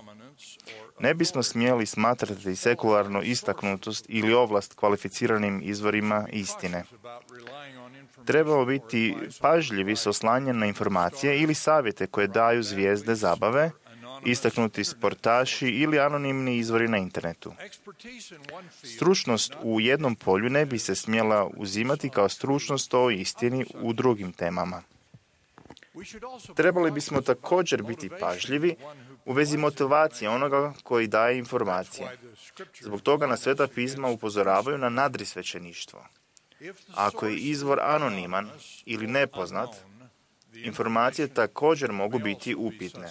Ne bismo smjeli smatrati sekularnu istaknutost ili ovlast kvalificiranim izvorima istine. Trebamo biti pažljivi s oslanjem na informacije ili savjete koje daju zvijezde zabave, istaknuti sportaši ili anonimni izvori na internetu. Stručnost u jednom polju ne bi se smjela uzimati kao stručnost o istini u drugim temama. Trebali bismo također biti pažljivi u vezi motivacije onoga koji daje informacije. Zbog toga nas Sveta pisma upozoravaju na nadrisvećeništvo. Ako je izvor anoniman ili nepoznat, informacije također mogu biti upitne.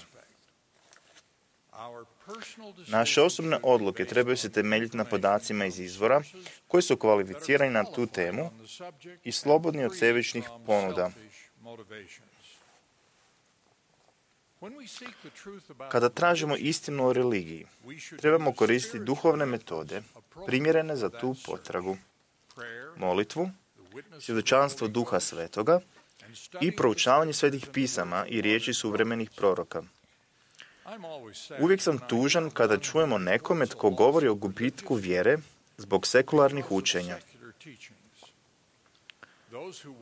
Naše osobne odluke trebaju se temeljiti na podacima iz izvora koji su kvalificirani na tu temu i slobodni od sebičnih ponuda. Kada tražimo istinu o religiji, trebamo koristiti duhovne metode primjerene za tu potragu, molitvu, svjedočanstvo Duha Svetoga i proučavanje svetih pisama i riječi suvremenih proroka. Uvijek sam tužan kada čujemo nekome tko govori o gubitku vjere zbog sekularnih učenja.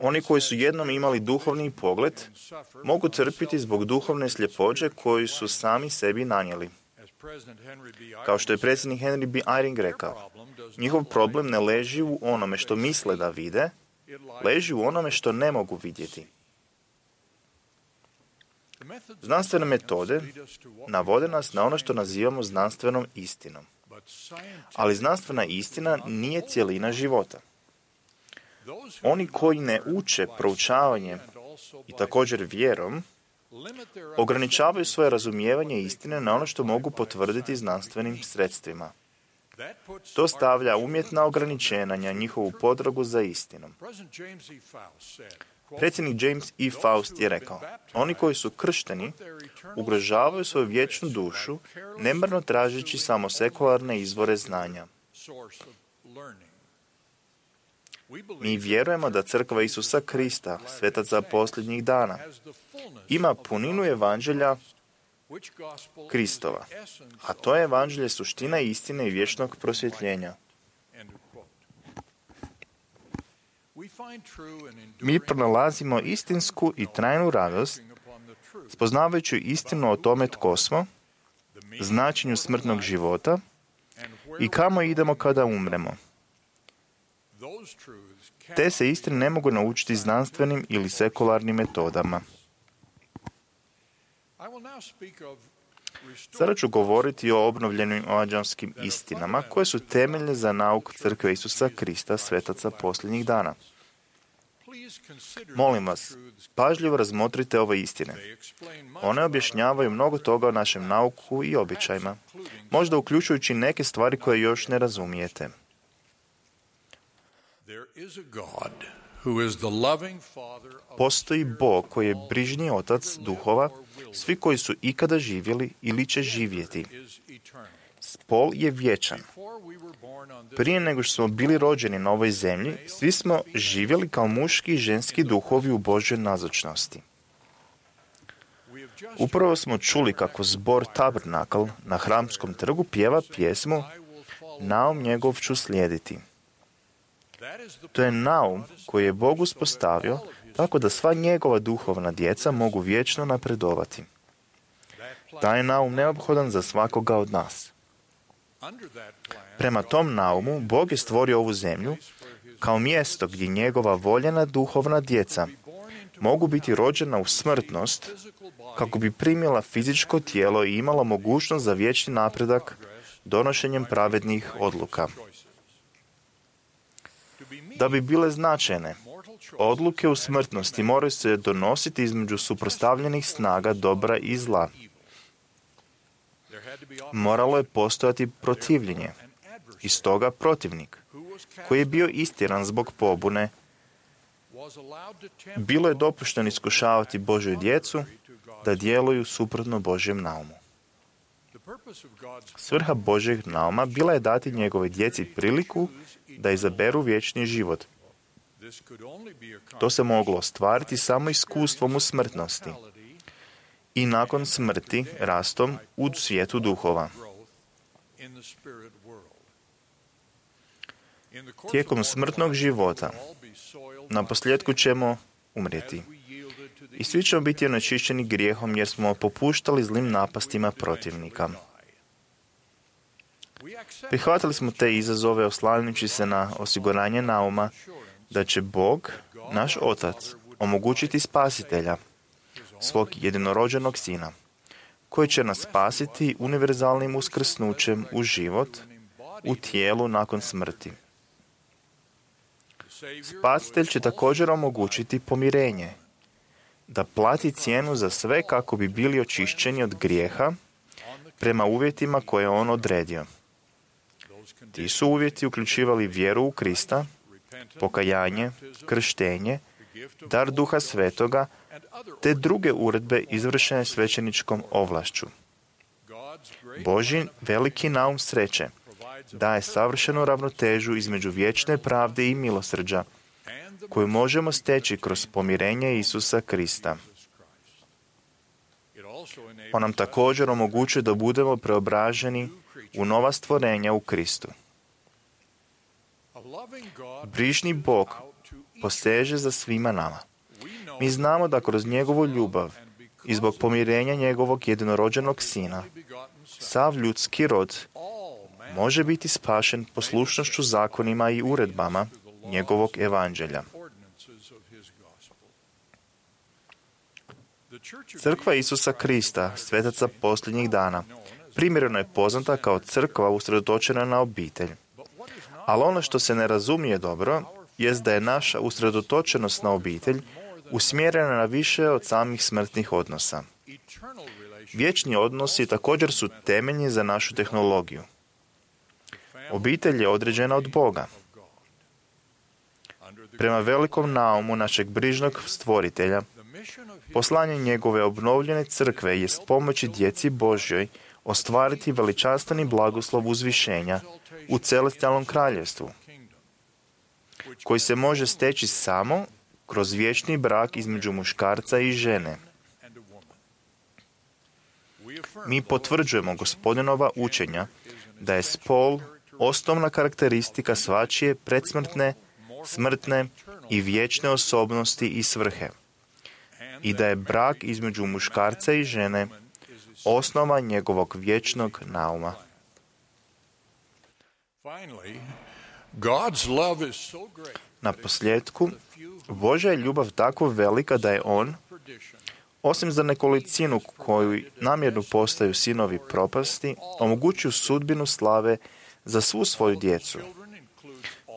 Oni koji su jednom imali duhovni pogled mogu trpiti zbog duhovne sljepoće koju su sami sebi nanijeli. Kao što je predsjednik Henry B. Eyring rekao, njihov problem ne leži u onome što misle da vide, leži u onome što ne mogu vidjeti. Znanstvene metode navode nas na ono što nazivamo znanstvenom istinom. Ali znanstvena istina nije cjelina života. Oni koji ne uče proučavanjem i također vjerom, ograničavaju svoje razumijevanje istine na ono što mogu potvrditi znanstvenim sredstvima. To stavlja umjetna ograničenja na njihovu potragu za istinom. Predsjednik James E. Faust je rekao, oni koji su kršteni ugrožavaju svoju vječnu dušu, nemarno tražeći samo sekularne izvore znanja. Mi vjerujemo da crkva Isusa Krista, svetaca posljednjih dana, ima puninu evanđelja Kristova, a to je evanđelje suština istine i vječnog prosvjetljenja. Mi pronalazimo istinsku i trajnu radost, spoznavajući istinu o tome tko smo, značenju smrtnog života i kamo idemo kada umremo. Te se istine ne mogu naučiti znanstvenim ili sekularnim metodama. Sada ću govoriti o obnovljenim evanđelskim istinama koje su temeljne za nauk Crkve Isusa Krista, svetaca posljednjih dana. Molim vas, pažljivo razmotrite ove istine. One objašnjavaju mnogo toga o našem nauku i običajima, možda uključujući neke stvari koje još ne razumijete. Postoji Bog koji je brižni otac duhova, svi koji su ikada živjeli ili će živjeti. Spol je vječan. Prije nego što smo bili rođeni na ovoj zemlji, svi smo živjeli kao muški i ženski duhovi u Božjoj nazočnosti. Upravo smo čuli kako zbor Tabernakl na Hramskom trgu pjeva pjesmu Naum njegov ću slijediti. To je naum koji je Bog uspostavio tako da sva njegova duhovna djeca mogu vječno napredovati. Taj je naum neophodan za svakoga od nas. Prema tom naumu, Bog je stvorio ovu zemlju kao mjesto gdje njegova voljena duhovna djeca mogu biti rođena u smrtnost kako bi primila fizičko tijelo i imala mogućnost za vječni napredak donošenjem pravednih odluka. Da bi bile značajne, odluke u smrtnosti moraju se donositi između suprotstavljenih snaga dobra i zla. Moralo je postojati protivljenje, i stoga protivnik, koji je bio istjeran zbog pobune, bilo je dopušteno iskušavati Božju djecu da djeluju suprotno Božjem naumu. Svrha Božjeg nauma bila je dati njegove djeci priliku da izaberu vječni život. To se moglo ostvariti samo iskustvom u smrtnosti i nakon smrti rastom u svijetu duhova. Tijekom smrtnog života na posljedku ćemo umrijeti. I svi ćemo biti onečišćeni grijehom jer smo popuštali zlim napastima protivnika. Prihvatili smo te izazove oslanjajući se na osiguranje nauma da će Bog, naš Otac, omogućiti spasitelja, svog jedinorođenog Sina, koji će nas spasiti univerzalnim uskrsnućem u život, u tijelu nakon smrti. Spasitelj će također omogućiti pomirenje, da plati cijenu za sve kako bi bili očišćeni od grijeha prema uvjetima koje je on odredio. Ti su uvjeti uključivali vjeru u Krista, pokajanje, krštenje, dar Duha Svetoga te druge uredbe izvršene svećeničkom ovlašću. Božji veliki naum sreće daje savršenu ravnotežu između vječne pravde i milosrđa, koju možemo steći kroz pomirenje Isusa Krista. On nam također omogućuje da budemo preobraženi u nova stvorenja u Kristu. Brižni Bog poseže za svima nama. Mi znamo da kroz njegovu ljubav i zbog pomirenja njegovog jedinorođenog sina, sav ljudski rod može biti spašen poslušnošću zakonima i uredbama njegovog evanđelja. Crkva Isusa Krista, svetaca posljednjih dana, primjereno je poznata kao crkva usredotočena na obitelj. Ali ono što se ne razumije dobro, jest da je naša usredotočenost na obitelj usmjerena na više od samih smrtnih odnosa. Vječni odnosi također su temeljni za našu tehnologiju. Obitelj je određena od Boga. Prema velikom naumu našeg brižnog stvoritelja, poslanje njegove obnovljene crkve je pomoći djeci Božjoj ostvariti veličanstveni blagoslov uzvišenja u celestijalnom kraljevstvu, koji se može steći samo kroz vječni brak između muškarca i žene. Mi potvrđujemo Gospodinova učenja da je spol osnovna karakteristika svačije predsmrtne, smrtne i vječne osobnosti i svrhe, i da je brak između muškarca i žene osnova njegovog vječnog nauma. Na posljedku, Božja je ljubav tako velika da je On, osim za nekolicinu koju namjerno postaju sinovi propasti, omogućuju sudbinu slave za svu svoju djecu.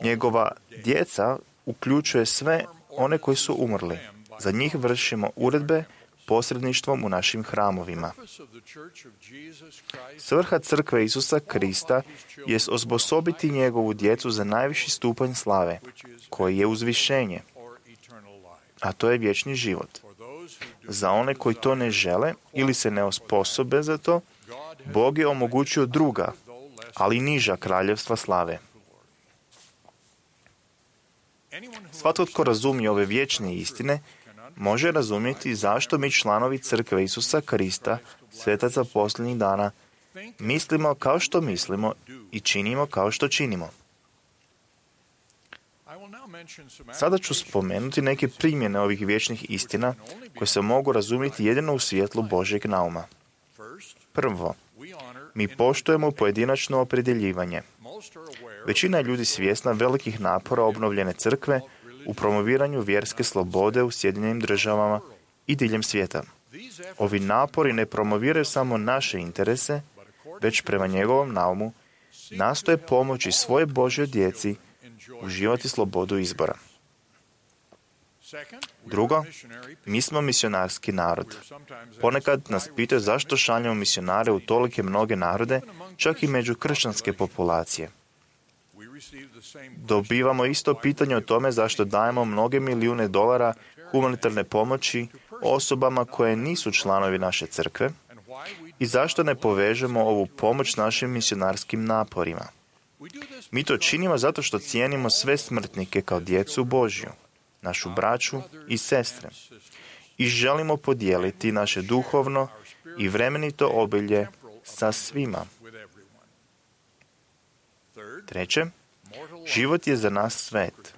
Njegova djeca uključuje sve one koji su umrli. Za njih vršimo uredbe posredništvom u našim hramovima. Svrha crkve Isusa Krista je osposobiti njegovu djecu za najviši stupanj slave, koji je uzvišenje, a to je vječni život. Za one koji to ne žele ili se ne osposobe za to, Bog je omogućio druga, ali niža kraljevstva slave. Svatko tko razumije ove vječne istine, može razumjeti zašto mi članovi crkve Isusa Krista, svetaca posljednjih dana, mislimo kao što mislimo i činimo kao što činimo. Sada ću spomenuti neke primjene ovih vječnih istina koje se mogu razumjeti jedino u svjetlu Božjeg nauma. Prvo, mi poštujemo pojedinačno opredjeljivanje. Većina je ljudi svjesna velikih napora obnovljene crkve u promoviranju vjerske slobode u Sjedinjenim državama i diljem svijeta. Ovi napori ne promoviraju samo naše interese, već prema njegovom naumu nastoje pomoći svoje Božjoj djeci uživati slobodu izbora. Drugo, mi smo misionarski narod. Ponekad nas pitaju zašto šaljemo misionare u tolike mnoge narode, čak i među kršćanske populacije. Dobivamo isto pitanje o tome zašto dajemo mnoge milijune dolara humanitarne pomoći osobama koje nisu članovi naše crkve i zašto ne povežemo ovu pomoć našim misionarskim naporima. Mi to činimo zato što cijenimo sve smrtnike kao djecu Božju, našu braću i sestre, i želimo podijeliti naše duhovno i vremenito obilje sa svima. Treće, život je za nas svet.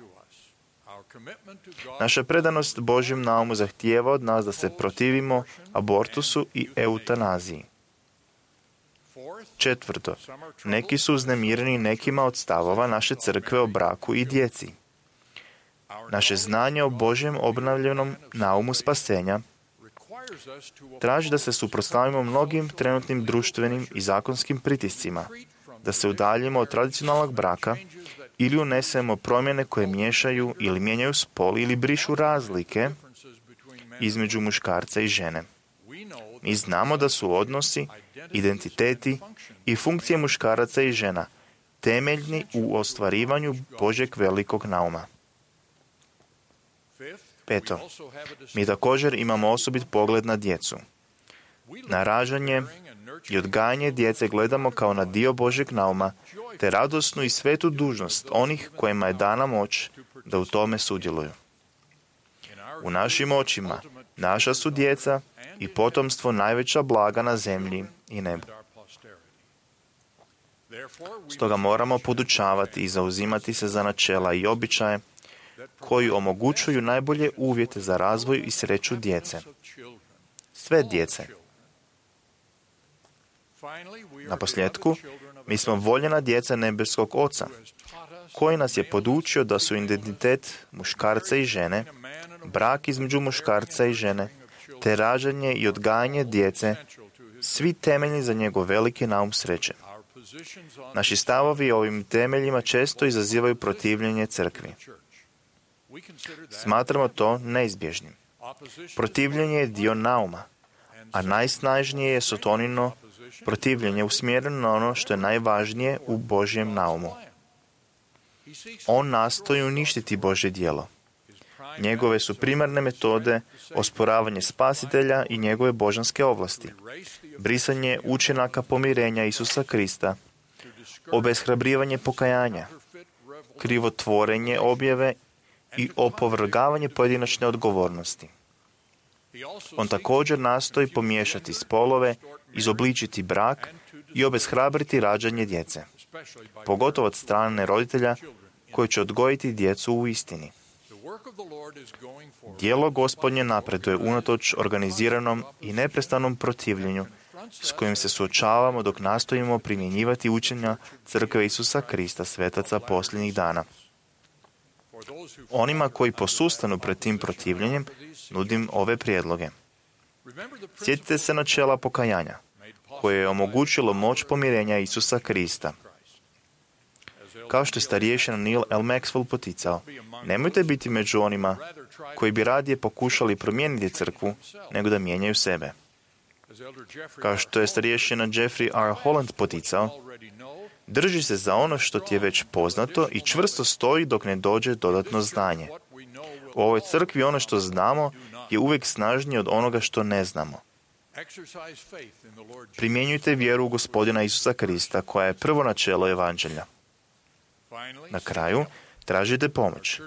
Naša predanost Božjem naumu zahtijeva od nas da se protivimo abortusu i eutanaziji. Četvrto, neki su uznemireni nekima od stavova naše crkve o braku i djeci. Naše znanje o Božjem obnovljenom naumu spasenja traži da se suprotstavimo mnogim trenutnim društvenim i zakonskim pritiscima, da se udaljimo od tradicionalnog braka ili unesemo promjene koje miješaju ili mijenjaju spol ili brišu razlike između muškarca i žene. Mi znamo da su odnosi, identiteti i funkcije muškaraca i žena temeljni u ostvarivanju Božjeg velikog nauma. Peto, mi također imamo osobit pogled na djecu. Na rađanje i odgajanje djece gledamo kao na dio Božjeg nauma, te radosnu i svetu dužnost onih kojima je dana moć da u tome sudjeluju. U našim očima naša su djeca i potomstvo najveća blaga na zemlji i nebu. Stoga moramo podučavati i zauzimati se za načela i običaje koji omogućuju najbolje uvjete za razvoj i sreću djece. Sve djece. Na posljedku, mi smo voljena djeca nebeskog Oca, koji nas je podučio da su identitet muškarca i žene, brak između muškarca i žene, te rađanje i odgajanje djece, svi temeljni za njegov veliki naum sreće. Naši stavovi o ovim temeljima često izazivaju protivljenje crkvi. Smatramo to neizbježnim. Protivljenje je dio nauma, a najsnažnije je sotonino protivljenje usmjereno na ono što je najvažnije u Božjem naumu. On nastoji uništiti Božje djelo. Njegove su primarne metode osporavanje spasitelja i njegove božanske ovlasti, brisanje učinaka pomirenja Isusa Krista, obeshrabrivanje pokajanja, krivotvorenje objave i opovrgavanje pojedinačne odgovornosti. On također nastoji pomiješati spolove, izobličiti brak i obeshrabriti rađanje djece, pogotovo od strane roditelja koji će odgojiti djecu u istini. Djelo Gospodnje napreduje unatoč organiziranom i neprestanom protivljenju s kojim se suočavamo dok nastojimo primjenjivati učenja Crkve Isusa Krista, svetaca posljednjih dana. Onima koji posustanu pred tim protivljenjem, nudim ove prijedloge. Sjetite se načela pokajanja, koje je omogućilo moć pomirenja Isusa Krista. Kao što je starješina Neil L. Maxwell poticao, nemojte biti među onima koji bi radije pokušali promijeniti crkvu nego da mijenjaju sebe. Kao što je starješina Jeffrey R. Holland poticao, drži se za ono što ti je već poznato i čvrsto stoji dok ne dođe dodatno znanje. U ovoj crkvi ono što znamo je uvijek snažnije od onoga što ne znamo. Primjenjujte vjeru u Gospodina Isusa Krista, koja je prvo načelo evanđelja. Na kraju, tražite pomoć.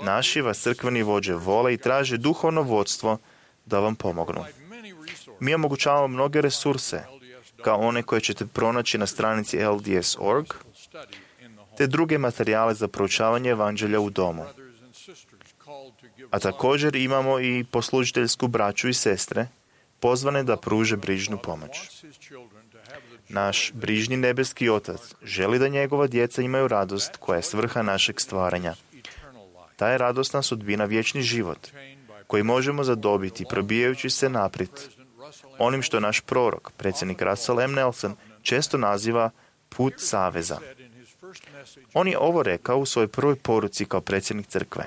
Naši vas crkveni vođe vole i traže duhovno vodstvo da vam pomognu. Mi omogućavamo mnoge resurse, kao one koje ćete pronaći na stranici L D S dot org, te druge materijale za proučavanje evanđelja u domu. A također imamo i poslužiteljsku braću i sestre, pozvane da pruže brižnu pomoć. Naš brižni nebeski Otac želi da njegova djeca imaju radost koja je svrha našeg stvaranja. Ta je radosna sudbina vječni život, koji možemo zadobiti probijajući se naprijed onim što naš prorok, predsjednik Russell M. Nelson, često naziva put saveza. On je ovo rekao u svojoj prvoj poruci kao predsjednik crkve.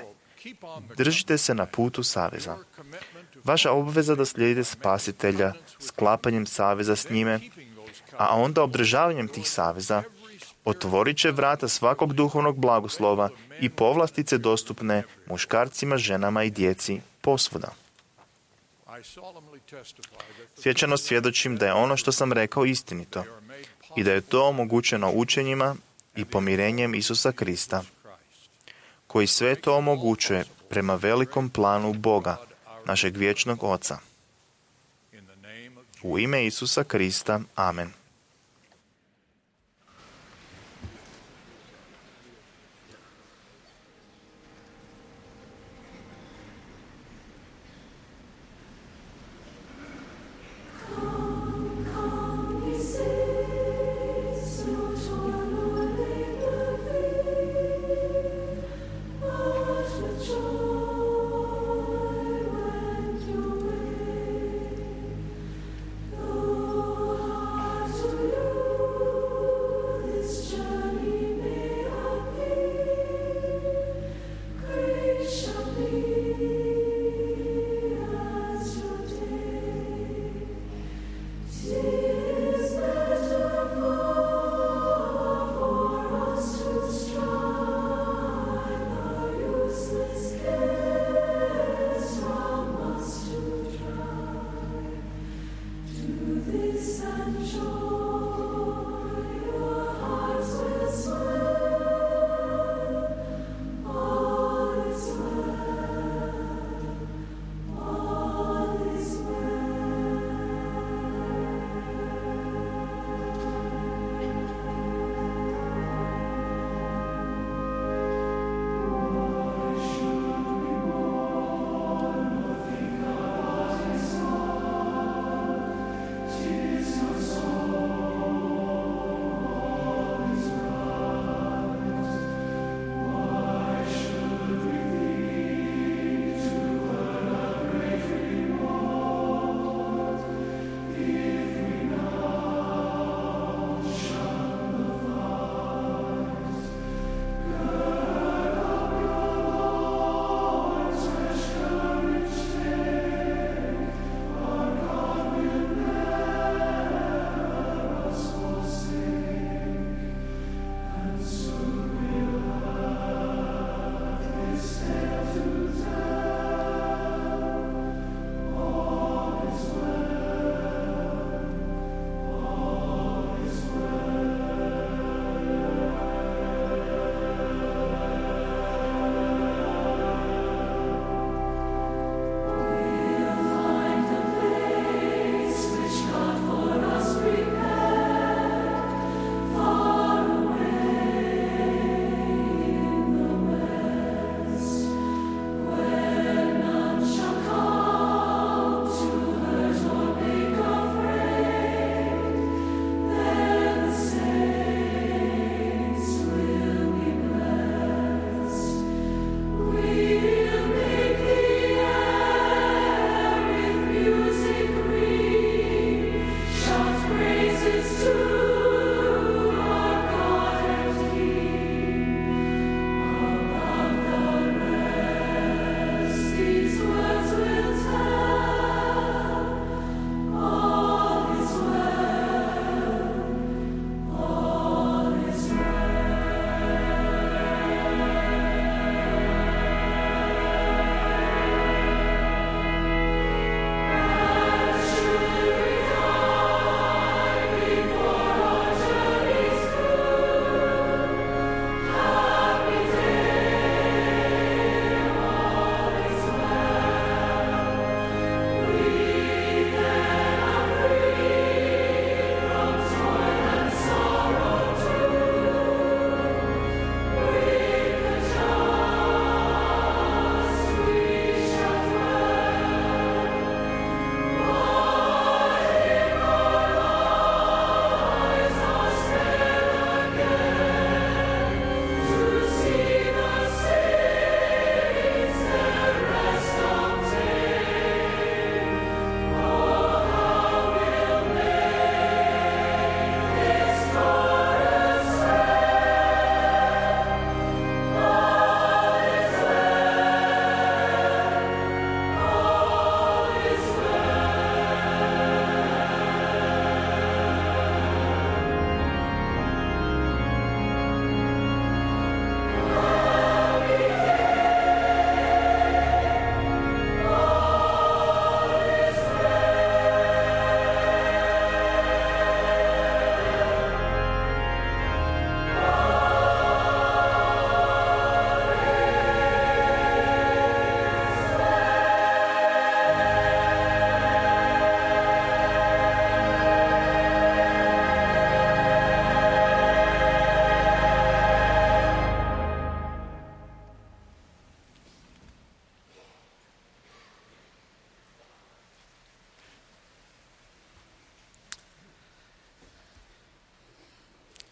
Držite se na putu saveza. Vaša obveza da slijedite spasitelja sklapanjem saveza s njime, a onda obdržavanjem tih saveza otvorit će vrata svakog duhovnog blagoslova i povlastice dostupne muškarcima, ženama i djeci posvuda. Svjećano svjedočim da je ono što sam rekao istinito i da je to omogućeno učenjima i pomirenjem Isusa Krista, koji sve to omogućuje prema velikom planu Boga, našeg vječnog Oca. U ime Isusa Krista, amen.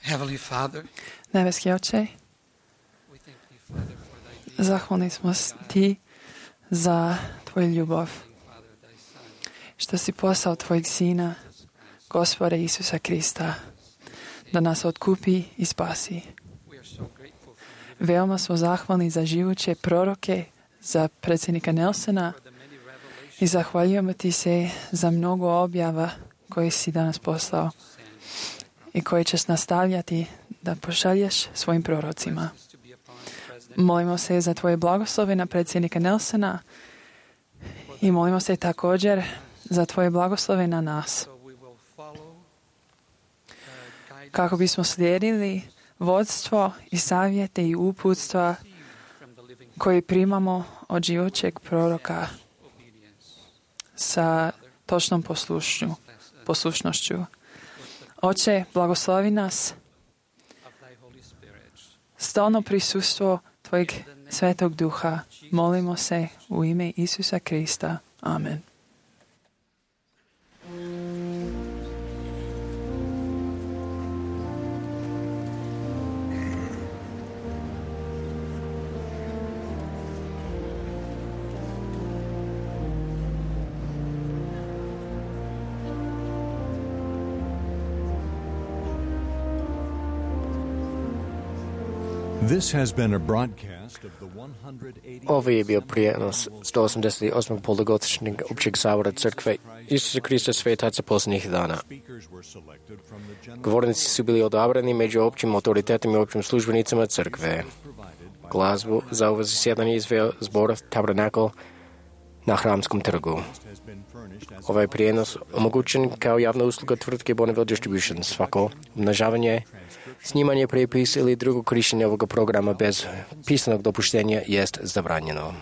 Heavenly Father, Nebeski Oče, zahvalni smo ti za tvoju ljubav, što si poslao tvojeg sina, Gospoda Isusa Krista, da nas otkupi i spasi. Veoma smo zahvalni za živuće proroke, za predsjednika Nelsona i zahvaljujemo ti se za mnogo objava koje si danas poslao i koje ćeš nastavljati da pošalješ svojim prorocima. Molimo se za tvoje blagoslove na predsjednika Nelsona i molimo se također za tvoje blagoslove na nas. Kako bismo slijedili vodstvo i savjete i uputstva koje primamo od živoćeg proroka sa točnom poslušnju, poslušnošću. Oče, blagoslovi nas, stalno prisustvo tvojeg Svetog Duha. Molimo se u ime Isusa Krista. Amen. This has been a broadcast of the one hundred eighty Ovo je bio prijenos sto osamdeset osmog polugodišnjeg općeg sabora crkve Isusa Krista svetaca posljednjih dana. Govornici su bili odabrani među općim autoritetima i općim službenicama crkve. Glazbu za ovo zasjedanje izveo zbor Tabernacle na Hramskom trgu. Ovaj prijenos omogućen kao javna usluga tvrtke Bonneville Distribution. Svako umnažavanje, snimanje, prepis ili drugo korištenje ovoga programa bez pisanog dopuštenja jest zabranjeno.